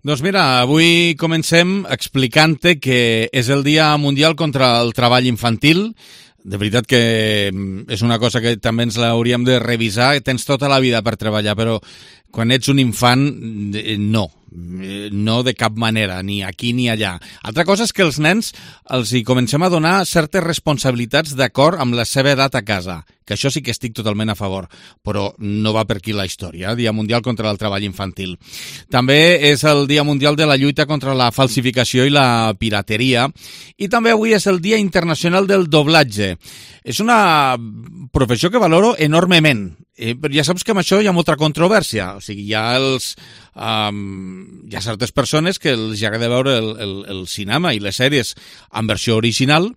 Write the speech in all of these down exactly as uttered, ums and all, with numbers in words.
Doncs mira, avui comencem explicant-te que és el Dia Mundial contra el Treball Infantil. De veritat que és una cosa que també ens l'hauríem de revisar. Tens tota la vida per treballar, però quan ets un infant, no. No de cap manera, ni aquí ni allà. Altra cosa és que els nens els hi comencem a donar certes responsabilitats d'acord amb la seva edat a casa, que això sí que estic totalment a favor, però no va per aquí la història. Dia Mundial contra el Treball Infantil. També és el Dia Mundial de la lluita contra la falsificació i la pirateria, i també avui és el Dia Internacional del Doblatge. És una professió que valoro enormement, eh, però ja saps que amb això hi ha molta controvèrsia. O sigui, hi ha els... Um, hi ha certes persones que els agrada veure el, el, el cinema i les sèries en versió original,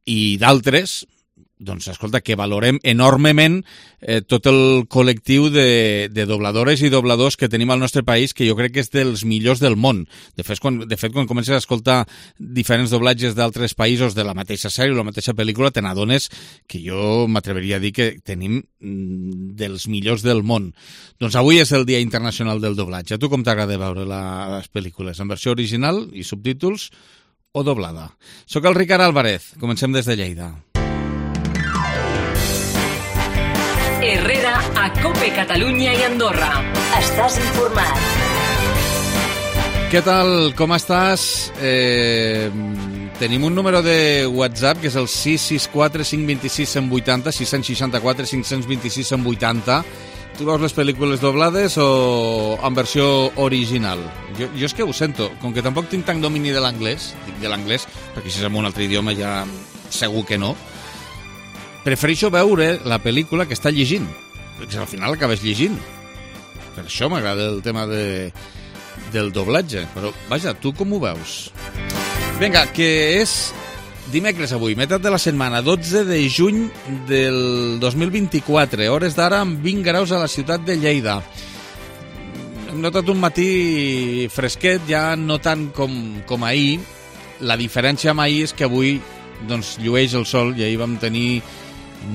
i d'altres, doncs, escolta, que valorem enormement eh, tot el col·lectiu de, de dobladores i dobladors que tenim al nostre país, que jo crec que és dels millors del món. De fet, quan, de fet, quan comences a escoltar diferents doblatges d'altres països de la mateixa sèrie o la mateixa pel·lícula, te n'adones que jo m'atreveria a dir que tenim mm, dels millors del món. Doncs avui és el Dia Internacional del Doblatge. A tu com t'agrada veure la, les pel·lícules? En versió original i subtítols o doblada? Soc el Ricard Álvarez. Comencem des de Lleida. Herrera a Cope Catalunya i Andorra. Estàs informat. Què tal? Com estàs? Eh, tenim un número de WhatsApp que és el sis sis quatre cinc dos sis cent vuitanta, sis sis quatre cinc dos sis cent vuitanta. Tu veus les pel·lícules doblades o en versió original? Jo, jo és que ho sento, com que tampoc tinc tant domini de l'anglès, dic de l'anglès, perquè si és en un altre idioma ja segur que no, prefereixo veure la pel·lícula que està llegint, perquè al final l'acabes llegint. Per això m'agrada el tema de, del doblatge. Però, vaja, tu com ho veus? Vinga, que és dimecres avui, meitat de la setmana, dotze de juny del dos mil vint-i-quatre, hores d'ara amb vint graus a la ciutat de Lleida. Hem notat un matí fresquet, ja no tant com, com ahir. La diferència amb ahir és que avui doncs, llueix el sol, i ahir vam tenir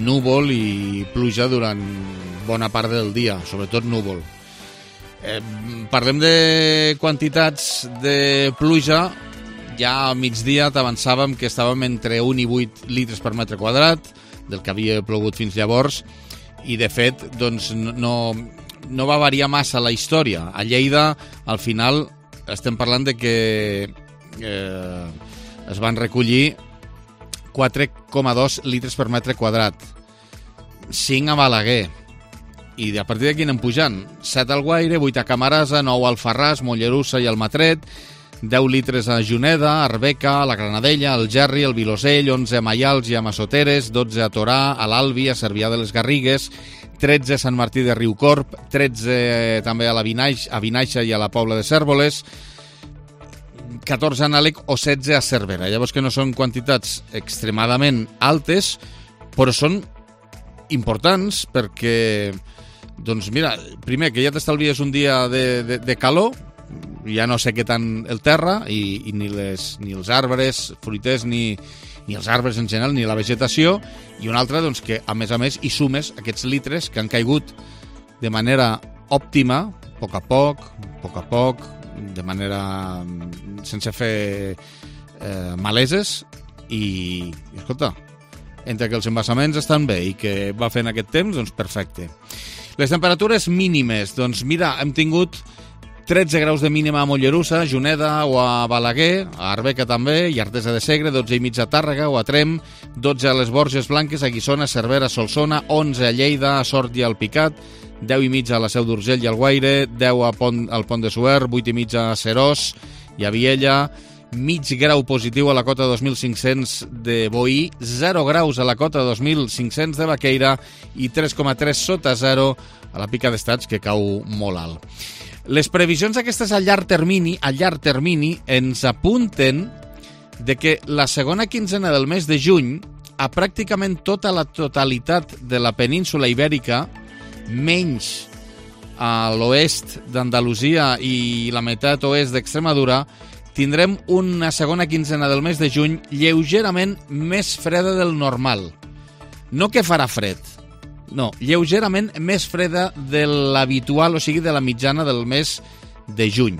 núvol i pluja durant bona part del dia, sobretot núvol. Eh, parlem de quantitats de pluja. Ja a migdia t'avançàvem que estàvem entre un i vuit litres per metre quadrat, del que havia plogut fins llavors, i de fet doncs, no, no va variar massa la història. A Lleida, al final, estem parlant de que eh, es van recollir quatre coma dos litres per metre quadrat, cinc a Balaguer, i a partir d'aquí anem pujant. set al Guaire, vuit a Camarasa, nou al Farràs, Mollerussa i Almatret, deu litres a Juneda, Arbeca, a la Granadella, al Gerri, al Vilosell, onze a Maials i a Massoteres, dotze a Torà, a l'Albi, a Cervià de les Garrigues, tretze a Sant Martí de Riucorb, tretze també a la Vinaix, a Vinaixa i a la Pobla de Cérvoles, catorze a Nalec o setze a Cervera. Llavors que no són quantitats extremadament altes, però són importants perquè, doncs mira, primer que ja t'estalvies un dia de, de, de calor, ja no sé què tant el terra, i, i ni, les, ni els arbres, fruiters, ni, ni els arbres en general, ni la vegetació, i una altra, doncs, que a més a més hi sumes aquests litres que han caigut de manera òptima, a poc a poc, a poc a poc, de manera sense fer eh, maleses, i, i escolta, entre que els embassaments estan bé i que va fent aquest temps, doncs perfecte. Les temperatures mínimes, doncs mira, hem tingut tretze graus de mínima a Mollerussa, a Juneda o a Balaguer, a Arbeca també, i Artesa de Segre, dotze i mig a Tàrrega o a Trem, dotze a les Borges Blanques, a Guissona, Cervera, Solsona, onze a Lleida, a Sort i al Picat, deu i mig a la Seu d'Urgell i al Guaire, deu a Pont, al Pont de Suert, vuit i mig a Serós i a Viella, mig grau positiu a la cota dos mil cinc-cents de Boí, zero graus a la cota dos mil cinc-cents de Baqueira i tres coma tres sota zero a la Pica d'Estats, que cau molt alt. Les previsions aquestes a llarg termini, a llarg termini ens apunten de que la segona quinzena del mes de juny, a pràcticament tota la totalitat de la península ibèrica, menys a l'oest d'Andalusia i la meitat oest d'Extremadura, tindrem una segona quinzena del mes de juny lleugerament més freda del normal. No que farà fred, no, lleugerament més freda de l'habitual, o sigui, de la mitjana del mes de juny.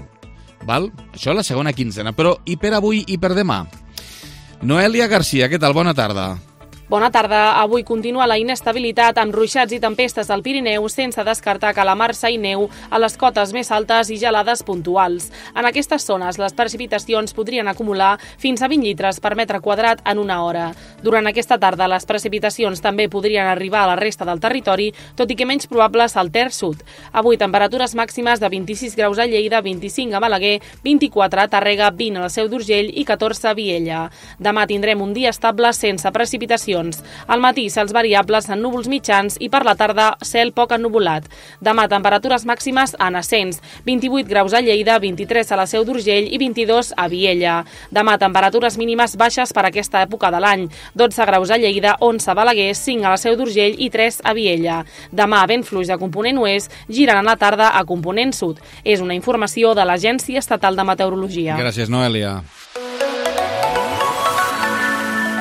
Val? Això la segona quinzena. Però i per avui i per demà? Noelia Garcia, què tal? Bona tarda. Bona tarda. Avui continua la inestabilitat amb ruixats i tempestes al Pirineu, sense descartar calamarsa i neu a les cotes més altes i gelades puntuals. En aquestes zones, les precipitacions podrien acumular fins a vint litres per metre quadrat en una hora. Durant aquesta tarda, les precipitacions també podrien arribar a la resta del territori, tot i que menys probables al Ter Sud. Avui, temperatures màximes de vint-i-sis graus a Lleida, vint-i-cinc a Balaguer, vint-i-quatre a Tàrrega, vint a la Seu d'Urgell i catorze a Viella. Demà tindrem un dia estable sense precipitacions. Al matí, cels variables en núvols mitjans i per la tarda, cel poc ennuvolat. Demà, temperatures màximes en ascens. vint-i-vuit graus a Lleida, vint-i-tres a la Seu d'Urgell i vint-i-dos a Viella. Demà, temperatures mínimes baixes per aquesta època de l'any. dotze graus a Lleida, onze a Balaguer, cinc a la Seu d'Urgell i tres a Viella. Demà, vent fluix de component oest, giren a la tarda a component sud. És una informació de l'Agència Estatal de Meteorologia. Gràcies, Noelia.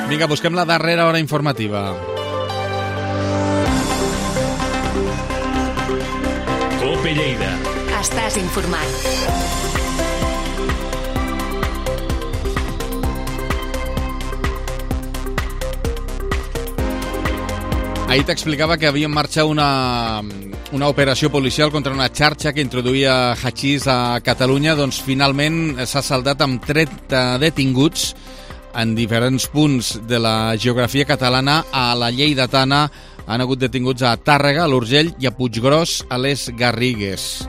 Vinga, busquem la darrera hora informativa. Cope Lleida. Estàs informat. Ahir t'explicava que havia en marxa una, una operació policial contra una xarxa que introduïa hachís a Catalunya. Doncs finalment s'ha saldat amb trenta detinguts en diferents punts de la geografia catalana. A la lleidatana han hagut detinguts a Tàrrega, a l'Urgell i a Puiggròs, a les Garrigues.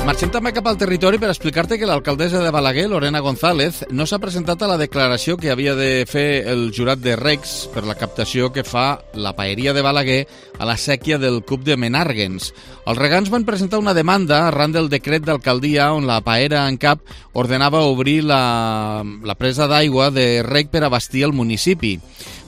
Marxem també cap al territori per explicar-te que l'alcaldessa de Balaguer, Lorena González, no s'ha presentat a la declaració que havia de fer el jurat de Recs per la captació que fa la paeria de Balaguer a la sèquia del Cup de Menàrguens. Els regants van presentar una demanda arran del decret d'alcaldia on la paera en cap ordenava obrir la, la presa d'aigua de rec per abastir el municipi.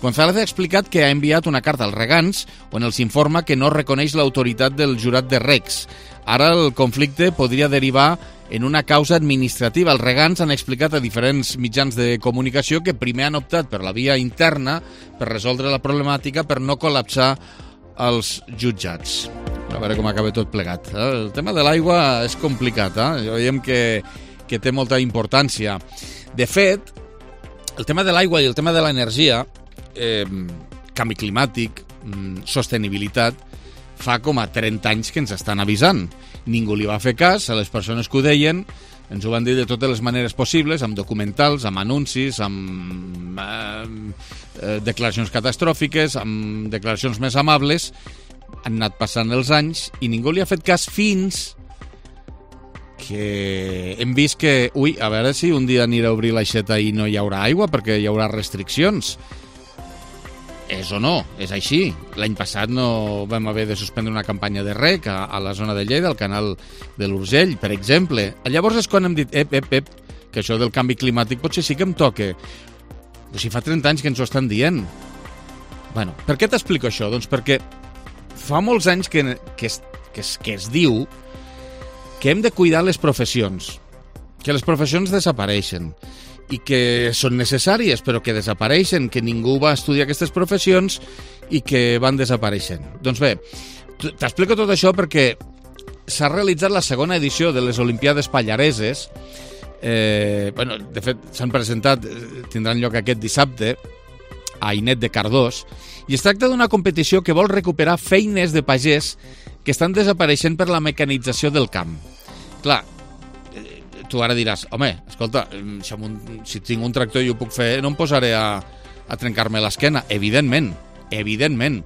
González ha explicat que ha enviat una carta als regants on els informa que no reconeix l'autoritat del jurat de Recs. Ara el conflicte podria derivar en una causa administrativa. Els regants han explicat a diferents mitjans de comunicació que primer han optat per la via interna per resoldre la problemàtica, per no col·lapsar els jutjats. A veure com acaba tot plegat. El tema de l'aigua és complicat, eh? Veiem que, que té molta importància. De fet, el tema de l'aigua i el tema de l'energia, eh, canvi climàtic, sostenibilitat, fa com a trenta anys que ens estan avisant. Ningú li va fer cas a les persones que ho deien, ens ho van dir de totes les maneres possibles, amb documentals, amb anuncis, amb eh, eh, declaracions catastròfiques, amb declaracions més amables. Han anat passant els anys i ningú li ha fet cas fins que hem vist que, ui, a veure si un dia anirà a obrir l'aixeta i no hi haurà aigua perquè hi haurà restriccions. És o no, és així. L'any passat no vam haver de suspendre una campanya de rec a, a la zona de Lleida, al canal de l'Urgell, per exemple. Llavors és quan hem dit, ep, ep, ep, que això del canvi climàtic potser sí que em toca. Però si fa trenta anys que ens ho estan dient. Bueno, per què t'explico això? Doncs perquè fa molts anys que, que, es, que, es, que es diu que hem de cuidar les professions, que les professions desapareixen i que són necessàries però que desapareixen, que ningú va estudiar aquestes professions i que van desapareixent. Doncs bé, t'explico tot això perquè s'ha realitzat la segona edició de les Olimpiades Pallareses. Eh, bueno, de fet, s'han presentat, tindran lloc aquest dissabte a Ainet de Cardós, i es tracta d'una competició que vol recuperar feines de pagès que estan desapareixent per la mecanització del camp. Clar, tu ara diràs, home, escolta, si, un, si tinc un tractor i ho puc fer, no em posaré a, a trencar-me l'esquena. Evidentment, evidentment.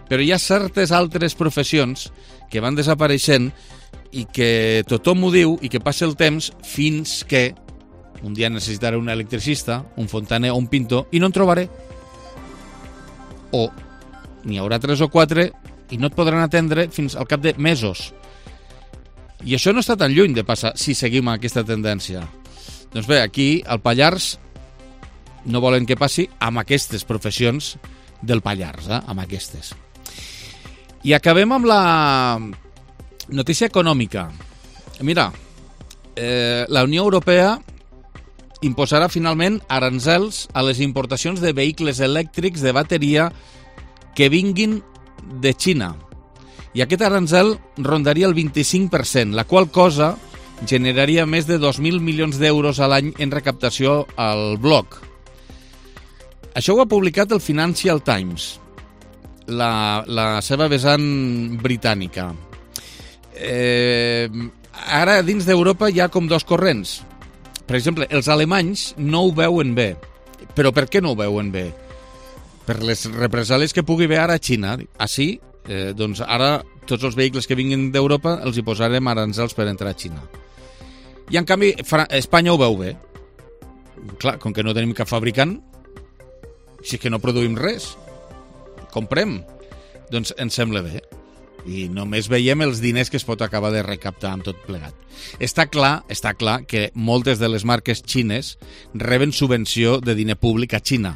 Però hi ha certes altres professions que van desapareixent i que tothom ho diu i que passa el temps fins que un dia necessitaré un electricista, un fontaner o un pintor i no en trobaré. O n'hi haurà tres o quatre i no et podran atendre fins al cap de mesos. I això no està tan lluny de passar si seguim aquesta tendència. Doncs bé, aquí al Pallars no volen que passi amb aquestes professions del Pallars, eh? amb aquestes. I acabem amb la notícia econòmica. Mira, eh, la Unió Europea imposarà finalment aranzels a les importacions de vehicles elèctrics de bateria que vinguin de Xina. I aquest aranzel rondaria el vint-i-cinc per cent, la qual cosa generaria més de dos mil milions d'euros a l'any en recaptació al bloc. Això ho ha publicat el Financial Times, la, la seva vessant britànica. Eh, ara, dins d'Europa hi ha com dos corrents. Per exemple, els alemanys no ho veuen bé. Però per què no ho veuen bé? Per les represàlies que pugui haver ara a Xina. Així, eh, doncs ara tots els vehicles que vinguin d'Europa els hi posarem aranzels per entrar a Xina. I en canvi, Espanya ho veu bé. Clar, com que no tenim cap fabricant, si és que no produïm res, comprem, doncs ens sembla bé. I només veiem els diners que es pot acabar de recaptar amb tot plegat. Està clar, està clar que moltes de les marques xines reben subvenció de diner públic a Xina,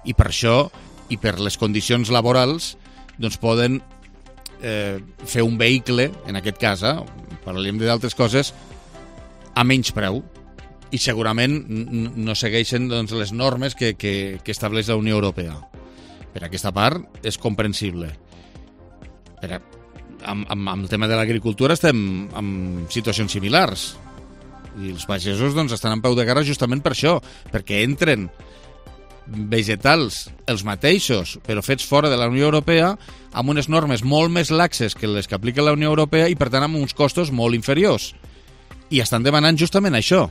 i per això, i per les condicions laborals, doncs poden eh, fer un vehicle, en aquest cas, eh, parlem d'altres coses, a menys preu, i segurament no segueixen doncs, les normes que, que, que estableix la Unió Europea. Per aquesta part, és comprensible. Per a, amb, amb, amb el tema de l'agricultura estem en situacions similars. I els pagesos doncs, estan en peu de guerra justament per això, perquè entren vegetals els mateixos, però fets fora de la Unió Europea, amb unes normes molt més laxes que les que aplica la Unió Europea i, per tant, amb uns costos molt inferiors. I estan demanant justament això.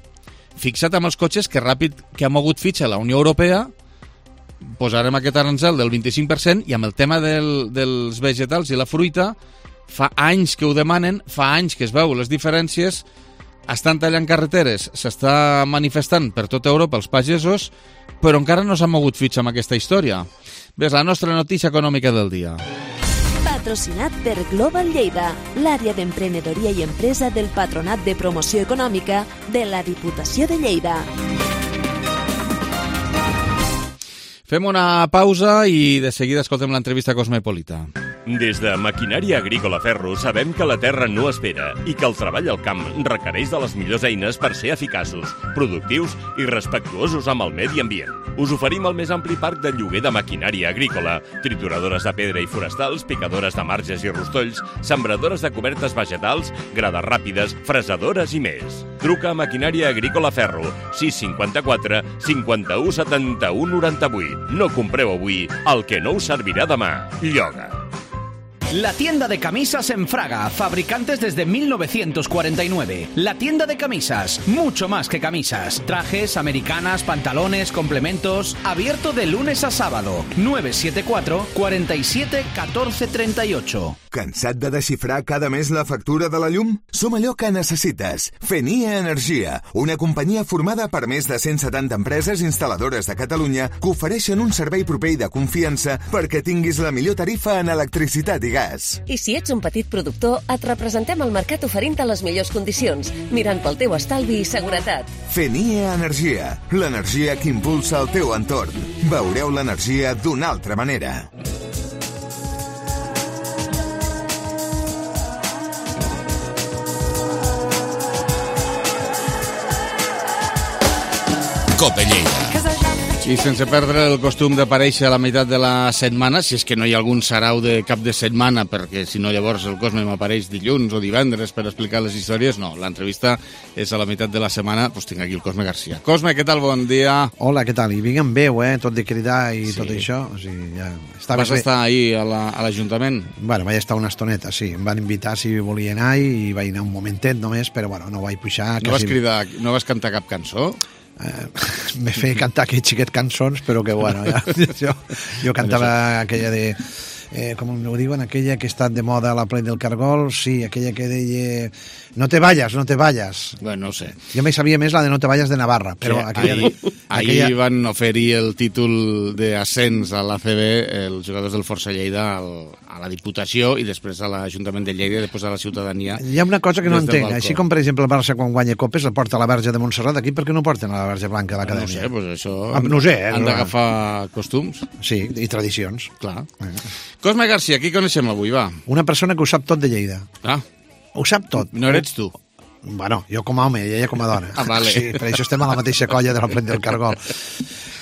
Fixa't amb els cotxes que ràpid que ha mogut fitxa la Unió Europea, posarem aquest aranzel del vint-i-cinc per cent, i amb el tema del, dels vegetals i la fruita, fa anys que ho demanen, fa anys que es veu les diferències, estan tallant carreteres, s'està manifestant per tota Europa els pagesos, però encara no s'ha mogut fitxa amb aquesta història. Ves, la nostra notícia econòmica del dia. Patrocinat per Global Lleida, l'àrea d'emprenedoria i empresa del Patronat de Promoció Econòmica de la Diputació de Lleida. Fem una pausa i de seguida escoltem l'entrevista Cosmopolita. Des de Maquinària Agrícola Ferro sabem que la terra no espera i que el treball al camp requereix de les millors eines per ser eficaços, productius i respectuosos amb el medi ambient. Us oferim el més ampli parc de lloguer de maquinària agrícola, trituradores de pedra i forestals, picadores de marges i rostolls, sembradores de cobertes vegetals, grades ràpides, fresadores i més. Truca a Maquinària Agrícola Ferro, sis cinquanta-quatre cinquanta-u setanta-u noranta-vuit. No compreu avui el que no us servirà demà. Lloga. La tienda de camisas en Fraga, fabricantes desde mil novecientos cuarenta y nueve. La tienda de camisas, mucho más que camisas. Trajes, americanas, pantalones, complementos. Abierto de lunes a sábado. nueve siete cuatro, cuarenta y siete, catorce treinta y ocho. Cansat de desxifrar cada mes la factura de la llum? Som allò que necessites. Fenia Energia, una companyia formada per més de cent setanta empreses instal·ladores de Catalunya que ofereixen un servei proper i de confiança perquè tinguis la millor tarifa en electricitat i gas. I si ets un petit productor, et representem al mercat oferint-te les millors condicions, mirant pel teu estalvi i seguretat. Fenia Energia, l'energia que impulsa el teu entorn. Veureu l'energia d'una altra manera. Cope Lleida. I sense perdre el costum d'aparèixer a la meitat de la setmana, si és que no hi ha algun sarau de cap de setmana, perquè si no llavors el Cosme m'apareix dilluns o divendres per explicar les històries, no, l'entrevista és a la meitat de la setmana, doncs tinc aquí el Cosme Garcia. Cosme, què tal? Bon dia. Hola, què tal? I vinc amb veu, eh? Tot de cridar i sí. Tot això. O sigui, ja... Vas bé. Estar ahir a l'Ajuntament? La, bueno, vaig estar una estoneta, sí. Em van invitar si volia anar i vaig anar un momentet només, però bueno, no vaig pujar. No quasi... vas cridar, no vas cantar cap cançó? Eh, me feia cantar aquells xiquet cançons, però que bueno, ja, jo, jo cantava aquella de... Eh, com ho diuen, aquella que està de moda a la plec del Cargol, sí, aquella que deia no te vayas, no te vayas. Bueno, no sé. Jo me sabia més la de no te vayas de Navarra, però sí, aquella... Ahir, de, aquella... ahir van oferir el títol d'ascens a l'A C B els jugadors del Força Lleida al, a la Diputació i després a l'Ajuntament de Lleida i després a la ciutadania. Hi ha una cosa que no entenc, així com per exemple el Barça quan guanya copes el porta a la Verge de Montserrat, aquí per què no porten a la Verge Blanca de l'Acadèmia? No sé, pues això... Ah, no sé, eh? Han d'agafar costums. Sí, i tradicions. Clar. Eh. Cosme Garcia, qui coneixem avui, va? Una persona que ho sap tot de Lleida. Ah. Ho sap tot. No eres tu? Bueno, jo com a home i ella com a dona. Ah, vale. Sí, per això estem a la mateixa colla de la plec del Cargol.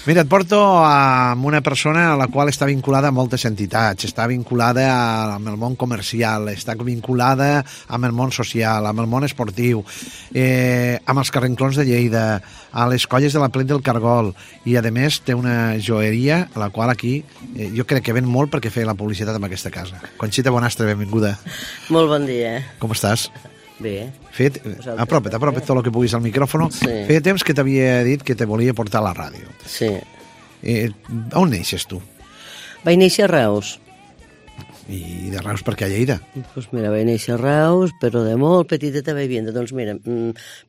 Mira, et porto amb una persona a la qual està vinculada a moltes entitats, està vinculada amb el món comercial, està vinculada amb el món social, amb el món esportiu, eh, amb els carrenclons de Lleida, a les colles de la Plec del Cargol, i a més té una joieria a la qual aquí eh, jo crec que ven molt perquè feia la publicitat en aquesta casa. Conxita Bonastre, benvinguda. Molt bon dia. Com estàs? Bé. Fet, apropa't, apropa't tot el que puguis al micròfon. Sí. Feia temps que t'havia dit que te volia portar a la ràdio. Sí. Eh, on neixes tu? Vaig néixer a Reus. I de Reus per què a Lleida? Pues mira, vaig néixer a Reus, però de molt petiteta vaig vindre. Doncs mira,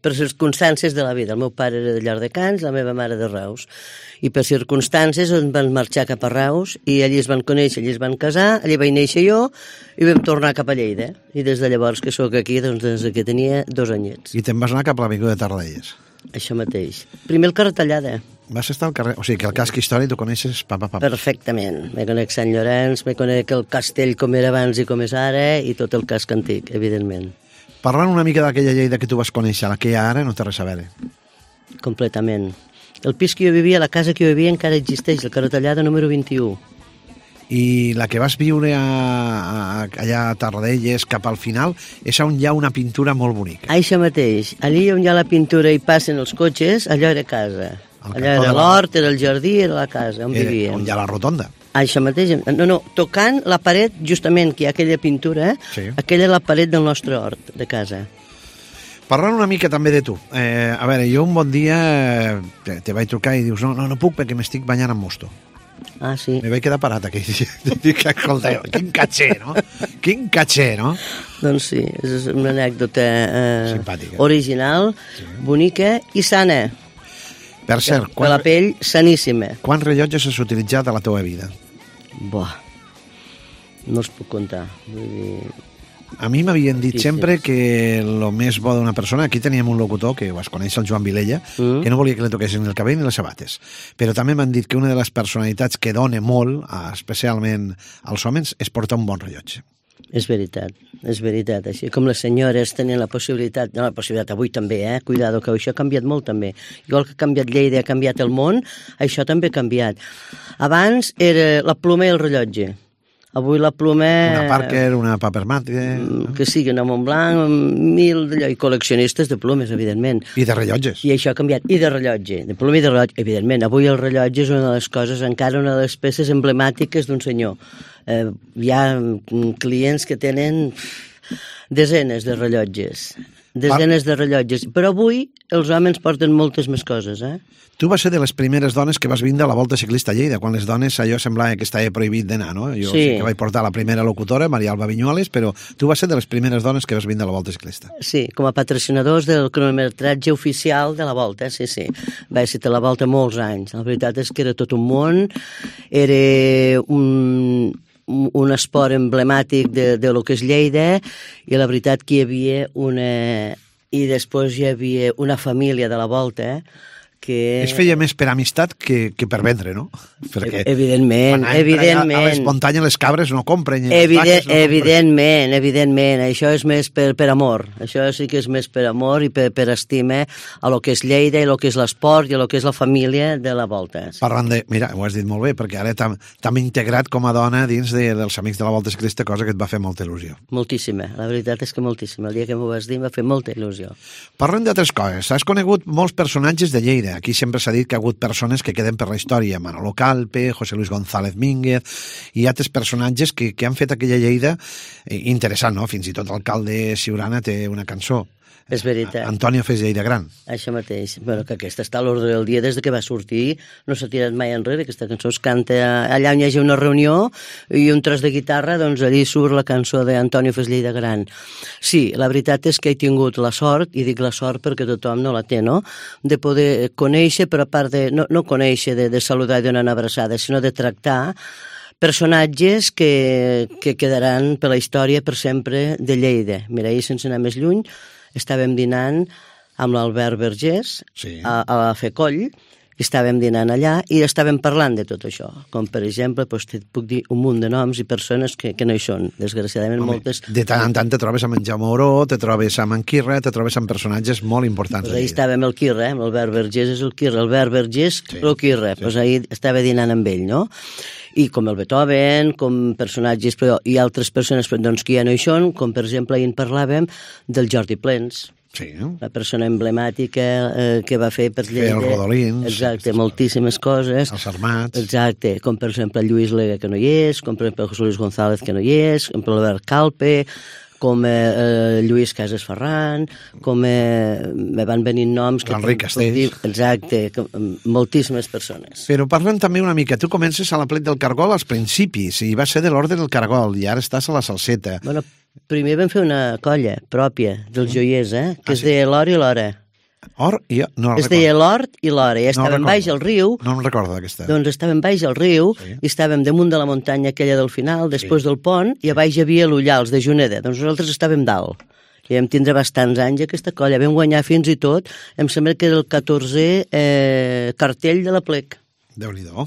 per circumstàncies de la vida. El meu pare era de Llardecans, la meva mare de Reus. I per circumstàncies ens van marxar cap a Reus i allí es van conèixer, allí es van casar, allí vaig néixer jo i vam tornar cap a Lleida. I des de llavors que sóc aquí, doncs des que tenia dos anyets. I te'n vas anar cap a l'avinguda de Tarradellas? Això mateix. Primer el carrer Tallada. Vas estar al carrer... O sigui, que el casc històric tu coneixes pa, pa, pa. Perfectament. Me conec Sant Llorenç, me conec el castell com era abans i com és ara i tot el casc antic, evidentment. Parlant una mica d'aquella Lleida que tu vas conèixer, la que hi ha ara no té res a veure. Completament. El pis que jo vivia, la casa que jo vivia encara existeix, el carrer Tallada número vint-i-u. I la que vas viure a, a, allà a Tarradellas cap al final és on hi ha una pintura molt bonica. Això mateix. Allí on hi ha la pintura i passen els cotxes, allò era casa. Allò era l'hort, era el jardí, era la casa on era, vivíem. On hi ha la rotonda. Això mateix. No, no, tocant la paret, justament, que hi ha aquella pintura, sí. Aquella és la paret del nostre hort de casa. Parlant una mica també de tu. Eh, a veure, jo un bon dia eh, te vaig trucar i dius no, no, no puc perquè m'estic banyant amb mosto. Ah, sí. Me vaig quedar parat aquell dia. Dic, escolta, quin caché, no? Quin caché, no? Doncs sí, és una anècdota eh, simpàtica, original, sí. Bonica i sana. Per cert, quan, la pell saníssima. Quants rellotges has utilitzat a la teva vida? Buah, no els puc comptar. Vull dir... A mi m'havien dit sempre que el més bo d'una persona... Aquí teníem un locutor, que vas conèixer, el Joan Vilella, mm. que no volia que li toquessin el cabell ni les sabates. Però també m'han dit que una de les personalitats que dona molt, especialment als homes, és portar un bon rellotge. És veritat, és veritat. Així com les senyores tenen la possibilitat, no la possibilitat, avui també, eh? Cuidado, que això ha canviat molt també. Igual que ha canviat Lleida, ha canviat el món, això també ha canviat. Abans era la ploma i el rellotge. Avui la ploma... Una Parker, una Papermate... Que sigui una Montblanc, mil d'allò, i col·leccionistes de plomes, evidentment. I de rellotges. I això ha canviat. I de rellotge, de ploma i de rellotge, evidentment. Avui el rellotge és una de les coses, encara una de les peces emblemàtiques d'un senyor. Eh, hi ha clients que tenen desenes de rellotges. Desenes de rellotges. Però avui els homes porten moltes més coses, eh? Tu vas ser de les primeres dones que vas vindre a la Volta Ciclista a Lleida, quan les dones allò semblava que estava prohibit d'anar, no? Jo sí. sí que vaig portar la primera locutora, Maria Alba Viñuales, però tu vas ser de les primeres dones que vas vindre a la Volta Ciclista. Sí, com a patrocinadors del cronometratge oficial de la Volta, sí, sí. Vaig ser a la Volta molts anys. La veritat és que era tot un món, era un... un esport emblemàtic de, de lo que és Lleida, i la veritat que hi havia una... I després hi havia una família de la Volta, que... Es feia més per amistat que, que per vendre, no? Perquè evidentment, evidentment. A les muntanyes les cabres no compren. Evident, no evidentment, evidentment. Això és més per, per amor. Això sí que és més per amor i per, per estima a lo que és Lleida i a lo que és l'esport i a lo que és la família de la Volta. Parlant de... Mira, ho has dit molt bé, perquè ara t'hem integrat com a dona dins de, dels amics de la Volta Ciclista, cosa que et va fer molta il·lusió. Moltíssima. La veritat és que moltíssima. El dia que m'ho vas dir m'ha fet molta il·lusió. Parlant d'altres coses, has conegut molts personatges de Lleida. Aquí sempre s'ha dit que ha hagut persones que queden per la història. Manolo Calpe, José Luis González Mínguez i altres personatges que, que han fet aquella Lleida interessant, no? Fins i tot l'alcalde Siurana té una cançó. És veritat. Antonio fes Lleida gran. Això mateix. Bueno, que aquesta està a l'ordre del dia des de que va sortir. No s'ha tirat mai enrere. Aquesta cançó es canta allà on hi hagi una reunió i un tros de guitarra, doncs allí surt la cançó d'Antonio fes Lleida gran. Sí, la veritat és que he tingut la sort, i dic la sort perquè tothom no la té, no?, de poder conèixer, però a part de... No, no conèixer, de, de saludar i donar una abraçada, sinó de tractar personatges que, que quedaran per la història per sempre de Lleida. Mira, ahir, sense anar més lluny, estàvem dinant amb l'Albert Vergés, sí, a, a la Fecoll, I estàvem dinant allà i estàvem parlant de tot això. Com, per exemple, doncs, te puc dir un munt de noms i persones que, que no hi són. Desgraciadament, Home, moltes... De tant en tant te trobes amb en Jaume Oró, te trobes amb en Quirre, te trobes amb personatges molt importants. Pues ahí estàvem el Quirre, eh? Albert Vergés és el Quirre, Albert Vergés, sí, el Quirre. Sí. Pues ahí estava dinant amb ell, no? I com el Beethoven, com personatges, però i altres persones doncs, que ja no hi són, com per exemple ahir en parlàvem del Jordi Plens. Sí. La persona emblemàtica eh, que va fer per Lleida. Fer els rodolins. Exacte, moltíssimes coses. Els armats. Exacte, com per exemple Lluís Lega, que no hi és, com per exemple José Luis González, que no hi és, com per l'Albert Calpe, com eh, eh, Lluís Casas Ferran, com eh, me van venint noms... L'Enric Castells. Exacte, com, moltíssimes persones. Però parlem també una mica. Tu comences a la Plec del Cargol als principis, i va ser de l'Orde del Cargol, i ara estàs a la Salseta. Bueno, primer vam fer una colla pròpia dels joiers, eh? Que ah, es deia l'Or i l'Hora. Or i... No es deia l'Hort i l'Hora. I estàvem no baix al riu. No em recordo d'aquesta. Doncs estàvem baix al riu, sí. I estàvem damunt de la muntanya aquella del final, després sí. Del pont, i a baix hi havia l'Ullals de Juneda. Doncs nosaltres estàvem dalt. I vam tindre bastants anys aquesta colla. Vam guanyar fins i tot, em sembla que era el catorzè eh, cartell de la Plec. Déu-n'hi-do.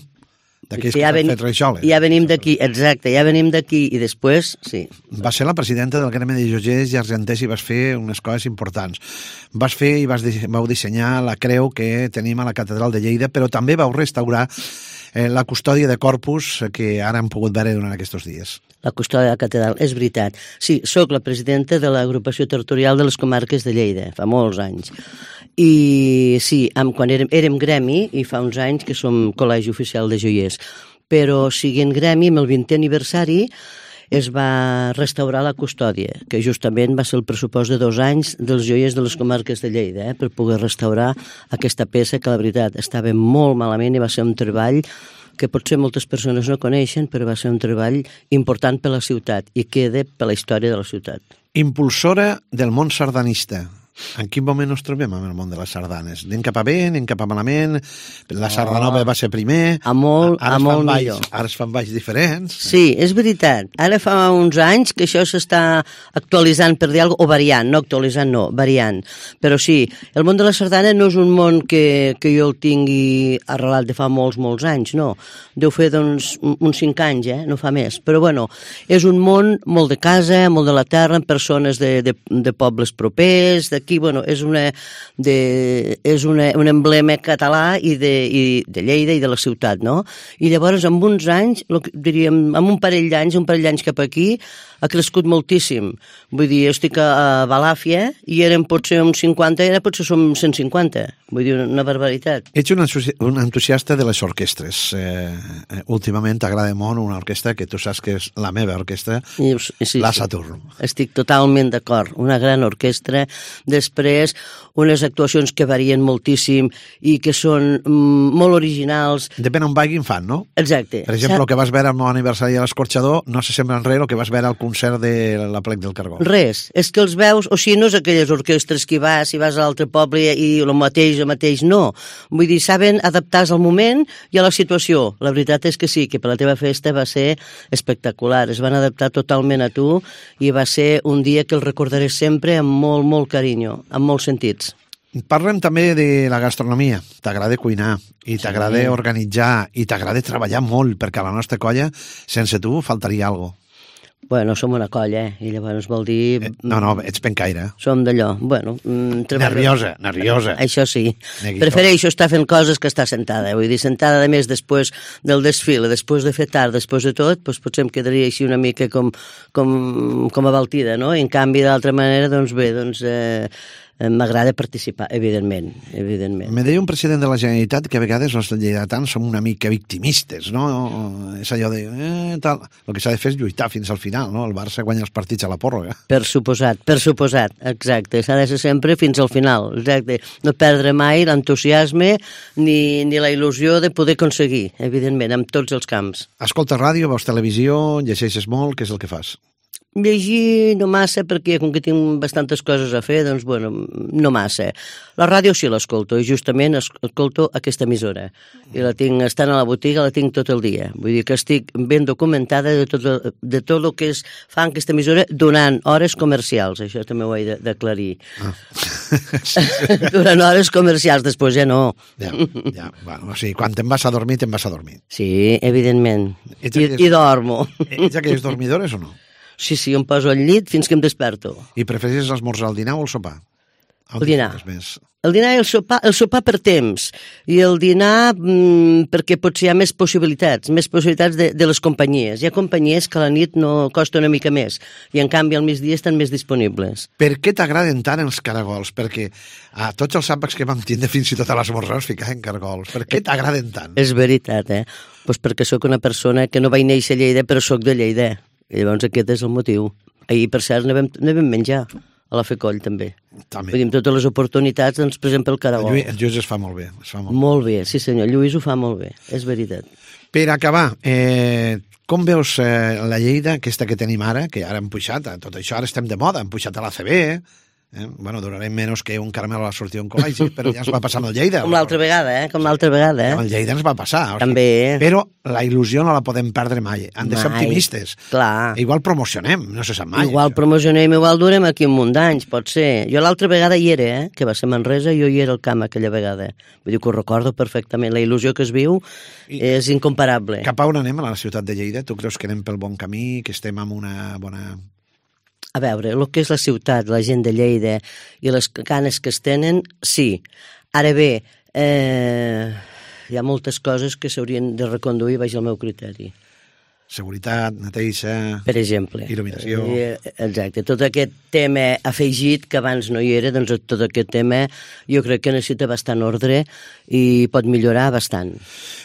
D'aquells que ja s'han ven... fet reixoles. Ja venim d'aquí, exacte, ja venim d'aquí, i després, sí. Vas ser la presidenta del Gremi de Joiers i Argenters i vas fer unes coses importants. Vas fer i vas, vau dissenyar la creu que tenim a la Catedral de Lleida, però també vau restaurar eh, la custòdia de Corpus que ara hem pogut veure durant aquests dies. La custòdia de la catedral, és veritat. Sí, sóc la presidenta de l'agrupació territorial de les comarques de Lleida, fa molts anys. I sí, amb, quan érem, érem gremi, i fa uns anys que som col·legi oficial de joiers, però siguent gremi, amb el vintè aniversari, es va restaurar la custòdia, que justament va ser el pressupost de dos anys dels joiers de les comarques de Lleida, eh, per poder restaurar aquesta peça que, la veritat, estava molt malament i va ser un treball que potser moltes persones no coneixen, però va ser un treball important per la ciutat i queda per la història de la ciutat. Impulsora del món sardanista. En quin moment ens trobem amb el món de les sardanes? Anem cap a bé, anem cap a malament? La Sardanova va ser primer. A molt, ara a molt balls, millor. Ara es fan balls diferents. Sí, és veritat. Ara fa uns anys que això s'està actualitzant, per dir alguna cosa, o variant, no actualitzant, no, variant. Però sí, el món de la sardana no és un món que, que jo el tingui arrelat de fa molts, molts anys, no. Deu fer, doncs, uns cinc anys, eh? No fa més. Però, bueno, és un món molt de casa, molt de la terra, amb persones de, de, de pobles propers, de aquí, bueno, és, una, de, és una, un emblema català i de, i de Lleida i de la ciutat, no? I llavors, amb uns anys, diríem, amb un parell d'anys, un parell d'anys cap aquí, ha crescut moltíssim. Vull dir, jo estic a Balàfia i érem potser uns cinquanta, i ara potser som cent cinquanta. Vull dir, una barbaritat. Ets un, un entusiasta de les orquestres. Eh, últimament t'agrada molt una orquestra que tu saps que és la meva orquestra, I, sí, la Saturn. Sí. Estic totalment d'acord. Una gran orquestra. Després, unes actuacions que varien moltíssim i que són mm, molt originals. Depèn on vagin fan, no? Exacte. Per exemple, el que vas veure al meu aniversari a l'Escorxador no se sembla en res el que vas veure al concert de la Plec del Cargol. Res. És que els veus, o sigui, no és aquelles orquestres que hi vas, si vas a l'altre poble i el mateix, el mateix, no. Vull dir, saben adaptar-se al moment i a la situació. La veritat és que sí, que per la teva festa va ser espectacular. Es van adaptar totalment a tu i va ser un dia que el recordaré sempre amb molt, molt carinyo, amb molts sentits. Parlem també de la gastronomia. T'agrada cuinar i t'agrada sí. organitzar i t'agrada treballar molt, perquè a la nostra colla, sense tu, faltaria alguna cosa. Bueno, som una colla, eh? I llavors vol dir... Eh, no, no, ets pencaire. Som d'allò, bueno... Mm, nerviosa, nerviosa. Això sí. Neguito. Prefereixo estar fent coses que estar sentada. Vull dir, sentada, a més, després del desfile, després de fer tard, després de tot, doncs potser em quedaria així una mica com, com, com abaltida, no? I en canvi, d'altra manera, doncs bé, doncs... Eh, m'agrada participar, evidentment, evidentment. Me deia un president de la Generalitat que a vegades els lleidatans som una mica victimistes, no? És allò de... Eh, tal. El que s'ha de fer és lluitar fins al final, no? El Barça guanya els partits a la pròrroga. Per suposat, per suposat, exacte. S'ha de ser sempre fins al final, exacte. No perdre mai l'entusiasme ni, ni la il·lusió de poder aconseguir, evidentment, en tots els camps. Escolta ràdio, veus televisió, llegeixes molt, què és el que fas? Llegir no massa, perquè com que tinc bastantes coses a fer, doncs, bueno, no massa. La ràdio sí l'escolto, i justament escolto aquesta emissora. I la tinc, estant a la botiga, la tinc tot el dia. Vull dir que estic ben documentada de tot, de tot el que es fa en aquesta emissora durant hores comercials. Això també ho he d'aclarir. Ah. Durant hores comercials, després ja no. Ja, ja. Bueno, o sigui, quan te'n vas a dormir, te'n vas a dormir. Sí, evidentment. I, aquelles... I dormo. Ets aquelles dormidores o no? Sí, sí, em poso al llit fins que em desperto. I prefereixes l'esmorzar, el dinar o el sopar? El dinar. El dinar i el sopar, el sopar per temps. I el dinar mmm, perquè potser hi ha més possibilitats, més possibilitats de, de les companyies. Hi ha companyies que a la nit no costa una mica més i en canvi al migdia estan més disponibles. Per què t'agraden tant els caragols? Perquè a tots els àpats que vam tindre fins i tot a l'esmorzar es ficaven caragols. Per què t'agraden tant? És veritat, eh? Pues perquè sóc una persona que no vaig néixer a Lleida però sóc de Lleida. I llavors aquest és el motiu. Ahir, per cert, ne vam, ne vam menjar a la Fecoll, també. També. Vull dir, amb totes les oportunitats, doncs, per exemple, el caragol. El Lluís, el Lluís es fa molt bé. Es fa molt, molt bé. bé, sí senyor, el Lluís ho fa molt bé, és veritat. Per acabar, eh, com veus eh, la Lleida, aquesta que tenim ara, que ara hem pujat, a tot això ara estem de moda, hem pujat a l'A C B, eh? Eh? Bueno, durarem menys que un caramel a la sortida d'un col·legi, però ja ens va passar amb el Lleida. Com l'altra vegada, eh? Com l'altra vegada, eh? Amb el Lleida ens va passar. O sigui, també. Però la il·lusió no la podem perdre mai. Han de ser mai. optimistes. Clar. Igual promocionem, no se sap mai. Igual això. promocionem, igual durem aquí un munt d'anys, pot ser. Jo l'altra vegada hi era, eh? Que va ser Manresa, jo hi era al camp aquella vegada. Vull dir que ho recordo perfectament. La il·lusió que es viu I és incomparable. Cap a on anem a la ciutat de Lleida? Tu creus que anem pel bon camí, que estem amb una bona... A veure, el que és la ciutat, la gent de Lleida i les ganes que es tenen, sí. Ara bé, eh, hi ha moltes coses que s'haurien de reconduir baix el meu criteri. Seguretat, neteja... Per exemple. Il·luminació... Exacte. Tot aquest tema afegit, que abans no hi era, doncs tot aquest tema jo crec que necessita bastant ordre i pot millorar bastant.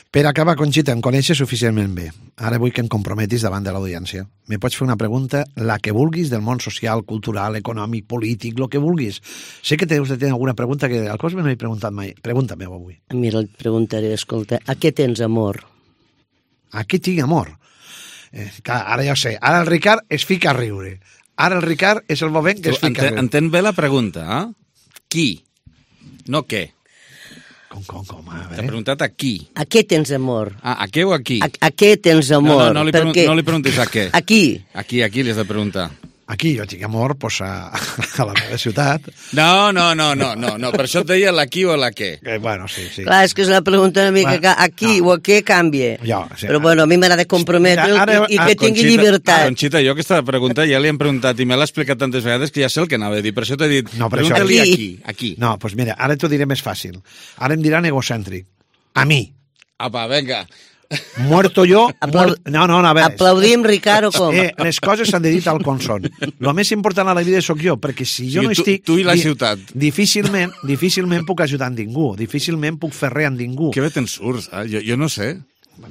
Per acabar, Conxita, em coneixes suficientment bé. Ara vull que em comprometis davant de l'audiència. Me pots fer una pregunta, la que vulguis, del món social, cultural, econòmic, polític, el que vulguis. Sé que teus de tenir alguna pregunta que al cos me no he preguntat mai. Pregunta-me avui. Mira, et preguntaré, escolta, a què tens amor? A què tinc amor? Eh, clar, ara ja ho sé. Ara el Ricard es fica a riure. Ara el Ricard és el moment que es fica a riure. Entén bé la pregunta, eh? Qui? No què. Com, com, com? A T'ha preguntat a qui. A què tens amor? Ah, a què o a qui? A, a què tens amor? No, no, no, li, pregun no li preguntis a què. A qui? Aquí, aquí li has de preguntar. Aquí jo tinc amor pues, a, a la meva ciutat. No, no, no, no, no, no. Per això et deia la qui o la què. Eh, bueno, sí, sí. Clar, és que és una pregunta una mica bueno, a qui no. o a què canvia. Jo, sí, Però bueno, a mi m'agrada comprometre ara, i, i que tingui Conxita, llibertat. Conxita, jo aquesta pregunta ja li hem preguntat i me l'ha explicat tantes vegades que ja sé el que anava a dir. Per això t'he dit, no, pregunta-li a qui. A qui. No, doncs pues mira, ara t'ho diré més fàcil. Ara em diran egocèntric. A mi. Apa, venga. Muerto yo... Aplau... Muert... No, no, no, a veure... Aplaudim, Ricard, o com? Eh, les coses s'han de dir tal com són. El més important a la vida sóc jo, perquè si jo sí, no tu, estic... Tu i la di ciutat. Difícilment, difícilment puc ajudar a ningú, difícilment puc fer res a ningú. Que bé te'n surts, eh? jo, jo no sé.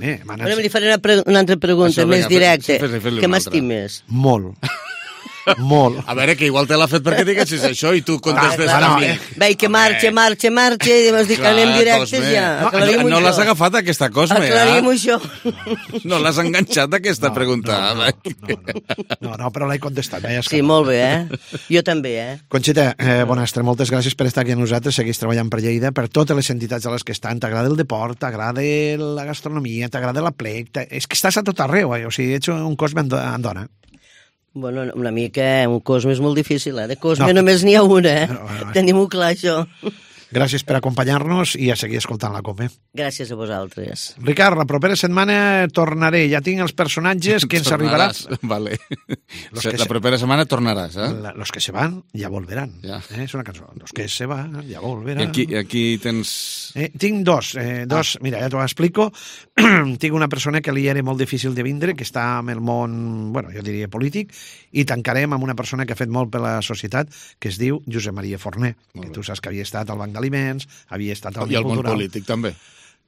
Bé, Ara li faré una, pre una altra pregunta, Això, més venga, directa. Fes, fes Què m'estimes? Molt. Molt. A veure, que igual te l'ha fet perquè diguessis això i tu contestes ah, a mi. Veig que marxa, marxa, marxa i vas dir que anem directes ja. No, no, no l'has agafat aquesta Cosme, eh? Aclarim això. No l'has enganxat aquesta no, pregunta. No, no, no, no, no, no però l'he contestat. Eh? Sí, molt bé, eh? Jo també, eh? Conxita, eh, Bonastre, moltes gràcies per estar aquí amb nosaltres, segueix treballant per Lleida, per totes les entitats a les que estan. T'agrada el deport, t'agrada la gastronomia, t'agrada la plec, és que estàs a tot arreu, eh? O sigui, ets un Cosme en dona. Bueno, una mica, un Cosme és molt difícil, eh? De Cosme no. només n'hi ha una, eh? No, no, no. Tenim-ho clar, això. Gràcies per acompanyar-nos i a seguir escoltant la Come. Gràcies a vosaltres. Ricard, la propera setmana tornaré. Ja tinc els personatges que ens arribaran. Vale. Los la que propera se... setmana tornaràs, eh? La, los que se van ja volveran. Ja. Eh? És una cançó. Los que se van ja volveran. I aquí, aquí tens... Eh, tinc dos. Eh, dos. Ah. Mira, ja t'ho explico. Tinc una persona que li era molt difícil de vindre, que està en el món, bueno, jo diria polític, i tancarem amb una persona que ha fet molt per la societat, que es diu Josep Maria Forner, que tu saps que havia estat al Banc d'Aliments, havia estat al I al món polític també.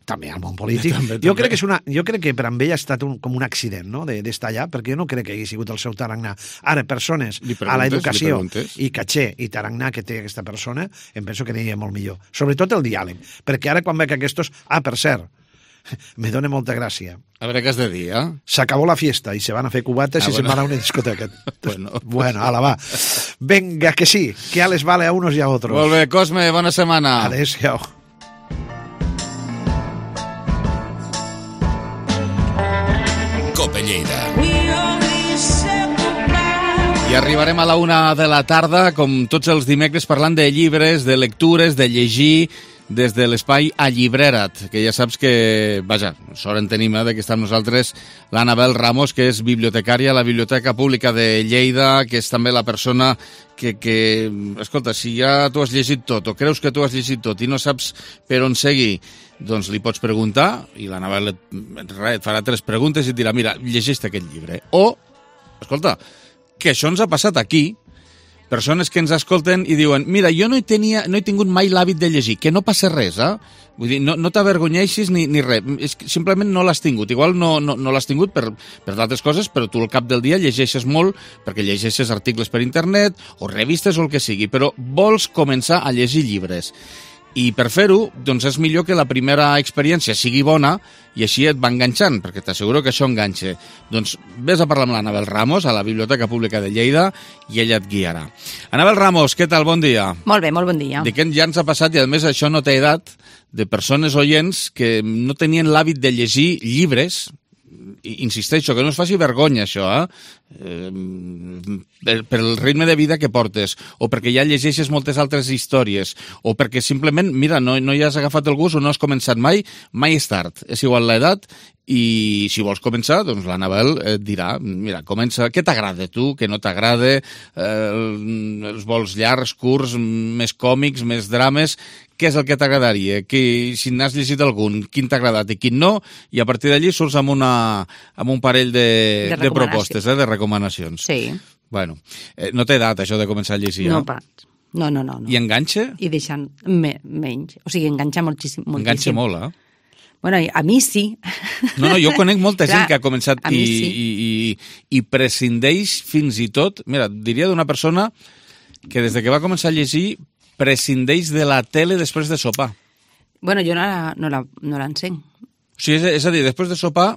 També al món polític. També, jo, també. Crec que és una, jo crec que per amb ell ha estat un, com un accident, no?, d'estar allà, perquè jo no crec que hagi sigut el seu tarannà. Ara, persones a l'educació i caché i tarannà que té aquesta persona, em penso que aniria molt millor. Sobretot el diàleg, perquè ara quan veig aquestos... Ah, per cert, me dona molta gràcia. A veure què has de dir, eh? S'acabó la fiesta i se van a fer cubates Ah, i bueno. se'n van a una discoteca. Bueno. Bueno, ala, va. Venga, que sí, que a les vale a unos y a otros. Molt bé, Cosme, bona setmana. Adéu-siau. Cope Lleida. I arribarem a la una de la tarda, com tots els dimecres, parlant de llibres, de lectures, de llegir, des de l'espai Allibrera't, que ja saps que, vaja, sort en tenim, eh, que està amb nosaltres l'Anabel Ramos, que és bibliotecària a la Biblioteca Pública de Lleida, que és també la persona que, que escolta, si ja tu has llegit tot, o creus que tu has llegit tot i no saps per on seguir, doncs li pots preguntar, i l'Anabel et, et farà tres preguntes i et dirà, mira, llegeix aquest llibre. O, escolta, que això ens ha passat aquí, persones que ens escolten i diuen, mira, jo no he, tenia, no he tingut mai l'hàbit de llegir, que no passa res, eh? Vull dir, no, no t'avergonyeixis ni, ni res, és que simplement no l'has tingut. Igual no, no, no l'has tingut per, per d'altres coses, però tu al cap del dia llegeixes molt perquè llegeixes articles per internet o revistes o el que sigui, però vols començar a llegir llibres. I per fer-ho, doncs és millor que la primera experiència sigui bona i així et va enganxant, perquè t'asseguro que això enganxa. Doncs vés a parlar amb l'Anabel Ramos a la Biblioteca Pública de Lleida i ella et guiarà. Anabel Ramos, què tal? Bon dia. Molt bé, molt bon dia. Dic que ja ens ha passat, i a més això no té edat, de persones oients que no tenien l'hàbit de llegir llibres. Insisteixo, que no es faci vergonya això, eh? eh per, per el ritme de vida que portes, o perquè ja llegeixes moltes altres històries, o perquè simplement, mira, no, no hi has agafat el gust o no has començat mai, mai és tard, és igual l'edat, i si vols començar, doncs l'Anabel et dirà, mira, comença, què t'agrada tu, què no t'agrada, eh, els vols llargs, curts, més còmics, més drames, què és el que t'agradaria, si n'has llegit algun, quin t'ha agradat i quin no, i a partir d'allí surts amb, una, amb un parell de, de, de propostes, eh, de recomanacions. Sí. Bueno, eh, no té edat això de començar a llegir, no, eh? pas. No, no, no, no. I enganxa? I deixant me, menys. O sigui, enganxa moltíssim. moltíssim. Enganxa molt, eh? Bueno, a mi sí. No, no, jo conec molta Clar, gent que ha començat i, sí. i, i, i prescindeix fins i tot, mira, diria d'una persona que des de que va començar a llegir prescindeix de la tele després de sopar. Bueno, jo no, la, no, la, no l'encenc. O sigui, és, és a dir, després de sopar,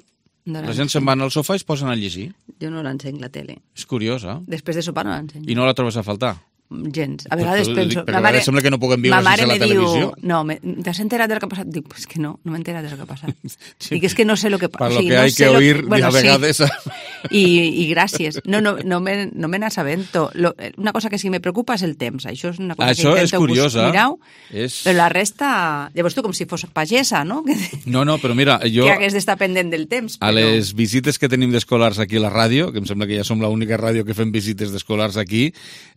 no la gent se'n va al sofà i es posen a llegir. Jo no l'encenc, la tele. És curiós, eh? Després de sopar no l'encenc. I no la trobes a faltar? Gens. A vegades pues, penso... Perquè a vegades sembla que no puguem viure sense la televisió. Diu, no, me, ¿t'has enterat del que ha passat? Dic, pues que no, no m'he enterat del que ha passat. Sí. Dic, és que no sé lo que passa. Per o lo sigui, que no hay que oír, bueno, a vegades... Sí. I, I gràcies. No, no, no me, no me n'assabento. Lo, una cosa que sí me preocupa és el temps. Això és una cosa Això que és intento curiosa. mirau, és... però la resta... Llavors tu com si fos pagesa, no? Que, no, no, però mira, jo... Que hagués d'estar pendent del temps. A però... les visites que tenim d'escolars aquí a la ràdio, que em sembla que ja som l'única ràdio que fem visites d'escolars aquí,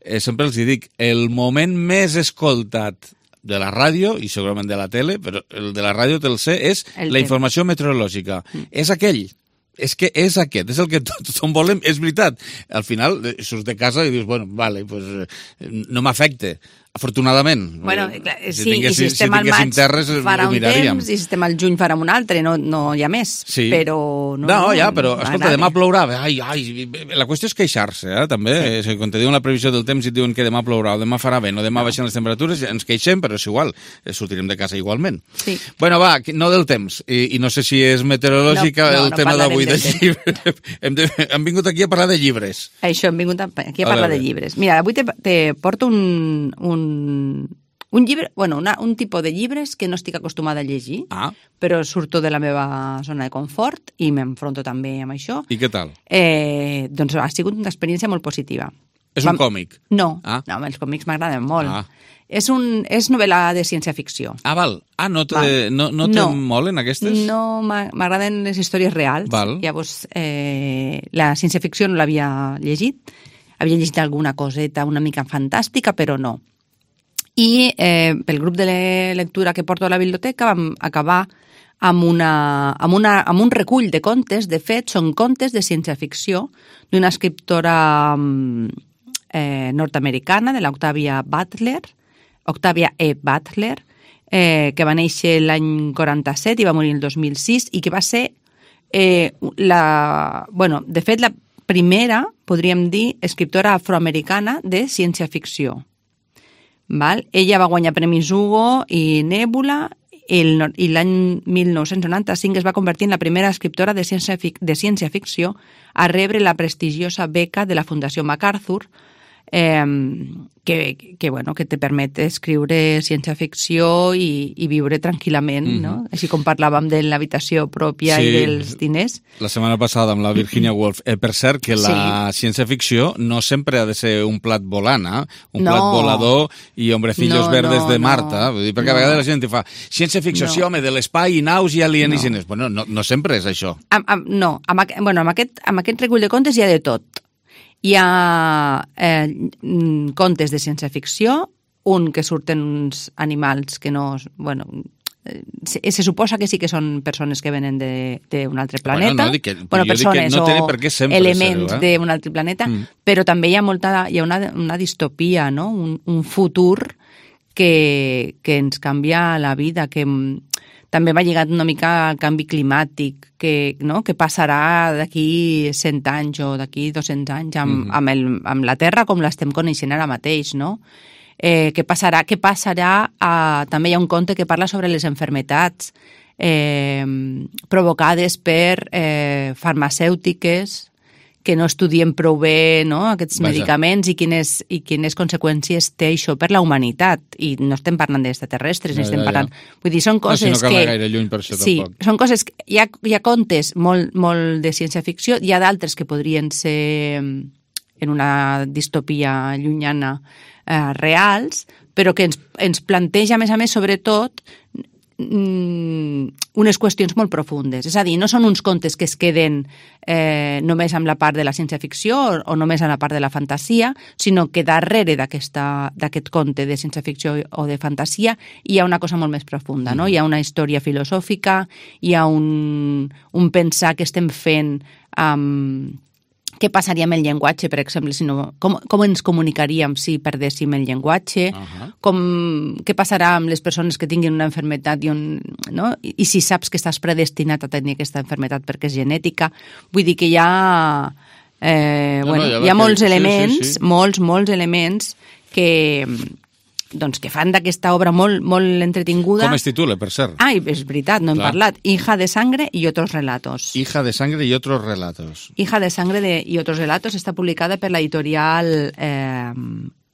eh, sempre els dic, el moment més escoltat de la ràdio, i segurament de la tele, però el de la ràdio te'l sé, és el la temps. informació meteorològica. Mm. És aquell. És que és aquest, és el que tothom volem, és veritat. Al final surts de casa i dius, bueno, vale, pues, no m'afecta. Afortunadament. Bueno, clar, si sí, tingués, i si estem si al maig terres, farà ho un miraríem. temps, i si estem al juny farà un altre, no, no hi ha més. Sí. Però no, no, ja, però, escolta, demà plourà. Ai, ai, la qüestió és queixar-se, eh, també. Sí. Quan te diuen la previsió del temps i et diuen que demà plourà o demà farà vent o demà no. baixen les temperatures, ens queixem, però és igual, sortirem de casa igualment. Sí. Bueno, va, no del temps, i, i no sé si és meteorològica no, no, el no tema d'avui del llibre. hem, de, hem vingut aquí a parlar de llibres. Això, hem vingut aquí a parlar a de llibres. Mira, avui te, te porto un... un... Un llibre, bueno, una, un tipus de llibres que no estic acostumada a llegir, ah. però surto de la meva zona de confort i m'enfronto també amb això. I què tal? Eh, doncs ha sigut una experiència molt positiva. És un còmic? No, ah. no, els còmics m'agraden molt. Ah. És, un, és novel·la de ciència-ficció. Ah, val. Ah, no te, no, no te no, molen aquestes? No, m'agraden les històries reals. Val. Llavors, eh, la ciència-ficció no l'havia llegit. Havia llegit alguna coseta una mica fantàstica, però no. I eh, pel grup de lectura que porto a la biblioteca vam acabar amb, una, amb, una, amb un recull de contes. De fet, són contes de ciència-ficció d'una escriptora eh, nord-americana, de l'Octavia Butler, Octavia E. Butler, eh, que va néixer l'any quaranta-set i va morir el dos mil sis, i que va ser, eh, la, bueno, de fet, la primera, podríem dir, escriptora afroamericana de ciència-ficció. Val? Ella va guanyar premis Hugo i Nebula el, i l'any mil nou-cents noranta-cinc es va convertir en la primera escriptora de ciència, de ciència-ficció a rebre la prestigiosa beca de la Fundació MacArthur, eh, que, que, bueno, que te permet escriure ciència-ficció i, i viure tranquil·lament, mm-hmm. no? Així com parlàvem de l'habitació pròpia sí, i dels diners. La setmana passada amb la Virginia Woolf. Eh, per cert, que la sí. ciència-ficció no sempre ha de ser un plat volant, eh? Un no. plat volador i hombrecillos no, verdes no, de Marta. No. Vull dir, perquè no. a vegades la gent fa ciència-ficció, no. sí, home, de l'espai i naus i alienígenes. No. Bueno, no, no sempre és això. Am, am, no, amb, bueno, amb, aquest, amb aquest recull de contes hi ha de tot. Hi ha eh, contes de ciència-ficció, un que surten uns animals que no... Bueno, eh, se, se suposa que sí que són persones que venen d'un altre planeta. Bueno, no, dic que, bueno, persones no o per què sempre elements ser-ho, eh? d'un altre planeta, mm. però també hi ha, molta, hi ha una, una distopia, no? un, un futur que, que ens canvia la vida, que... També va lligat una mica al canvi climàtic, que, no? que passarà d'aquí cent anys o d'aquí dos-cents anys amb, mm-hmm. amb, el, amb la Terra com l'estem coneixent ara mateix, no? Eh, què passarà? Què passarà? A, també hi ha un conte que parla sobre les enfermetats eh, provocades per eh, farmacèutiques que no estudien prou bé, no? Aquests Vaja. medicaments i quines, i quines conseqüències té això per la humanitat. I no estem parlant d'extraterrestres, ja, ni estem ja, parlant... Ja. Vull dir, són coses no, si no que... gaire lluny per això, sí, tampoc. Són coses... Que... Hi ha, hi ha contes molt, molt de ciència-ficció, hi ha d'altres que podrien ser en una distopia llunyana eh, reals, però que ens, ens planteja, a més a més, sobretot, unes qüestions molt profundes. És a dir, no són uns contes que es queden eh, només amb la part de la ciència-ficció o, o només amb la part de la fantasia, sinó que darrere d'aquest conte de ciència-ficció o de fantasia hi ha una cosa molt més profunda, no? Hi ha una història filosòfica, hi ha un, un pensar que estem fent amb... Què passaria amb el llenguatge, per exemple? Si no, com, com ens comunicaríem si perdéssim el llenguatge? Uh-huh. Com, què passarà amb les persones que tinguin una malaltia i, un, no? I, i si saps que estàs predestinat a tenir aquesta malaltia perquè és genètica? Vull dir que hi ha, eh, no, bueno, no, hi ha molts que... elements, sí, sí, sí. molts, molts elements que... doncs que fan d'aquesta obra molt, molt entretinguda. Com es titula, per cert? Ah, és veritat, no hem Clar. parlat. Hija de sangre y otros relatos. Hija de sangre y otros relatos. Hija de sangre de, y otros relatos està publicada per la editorial eh,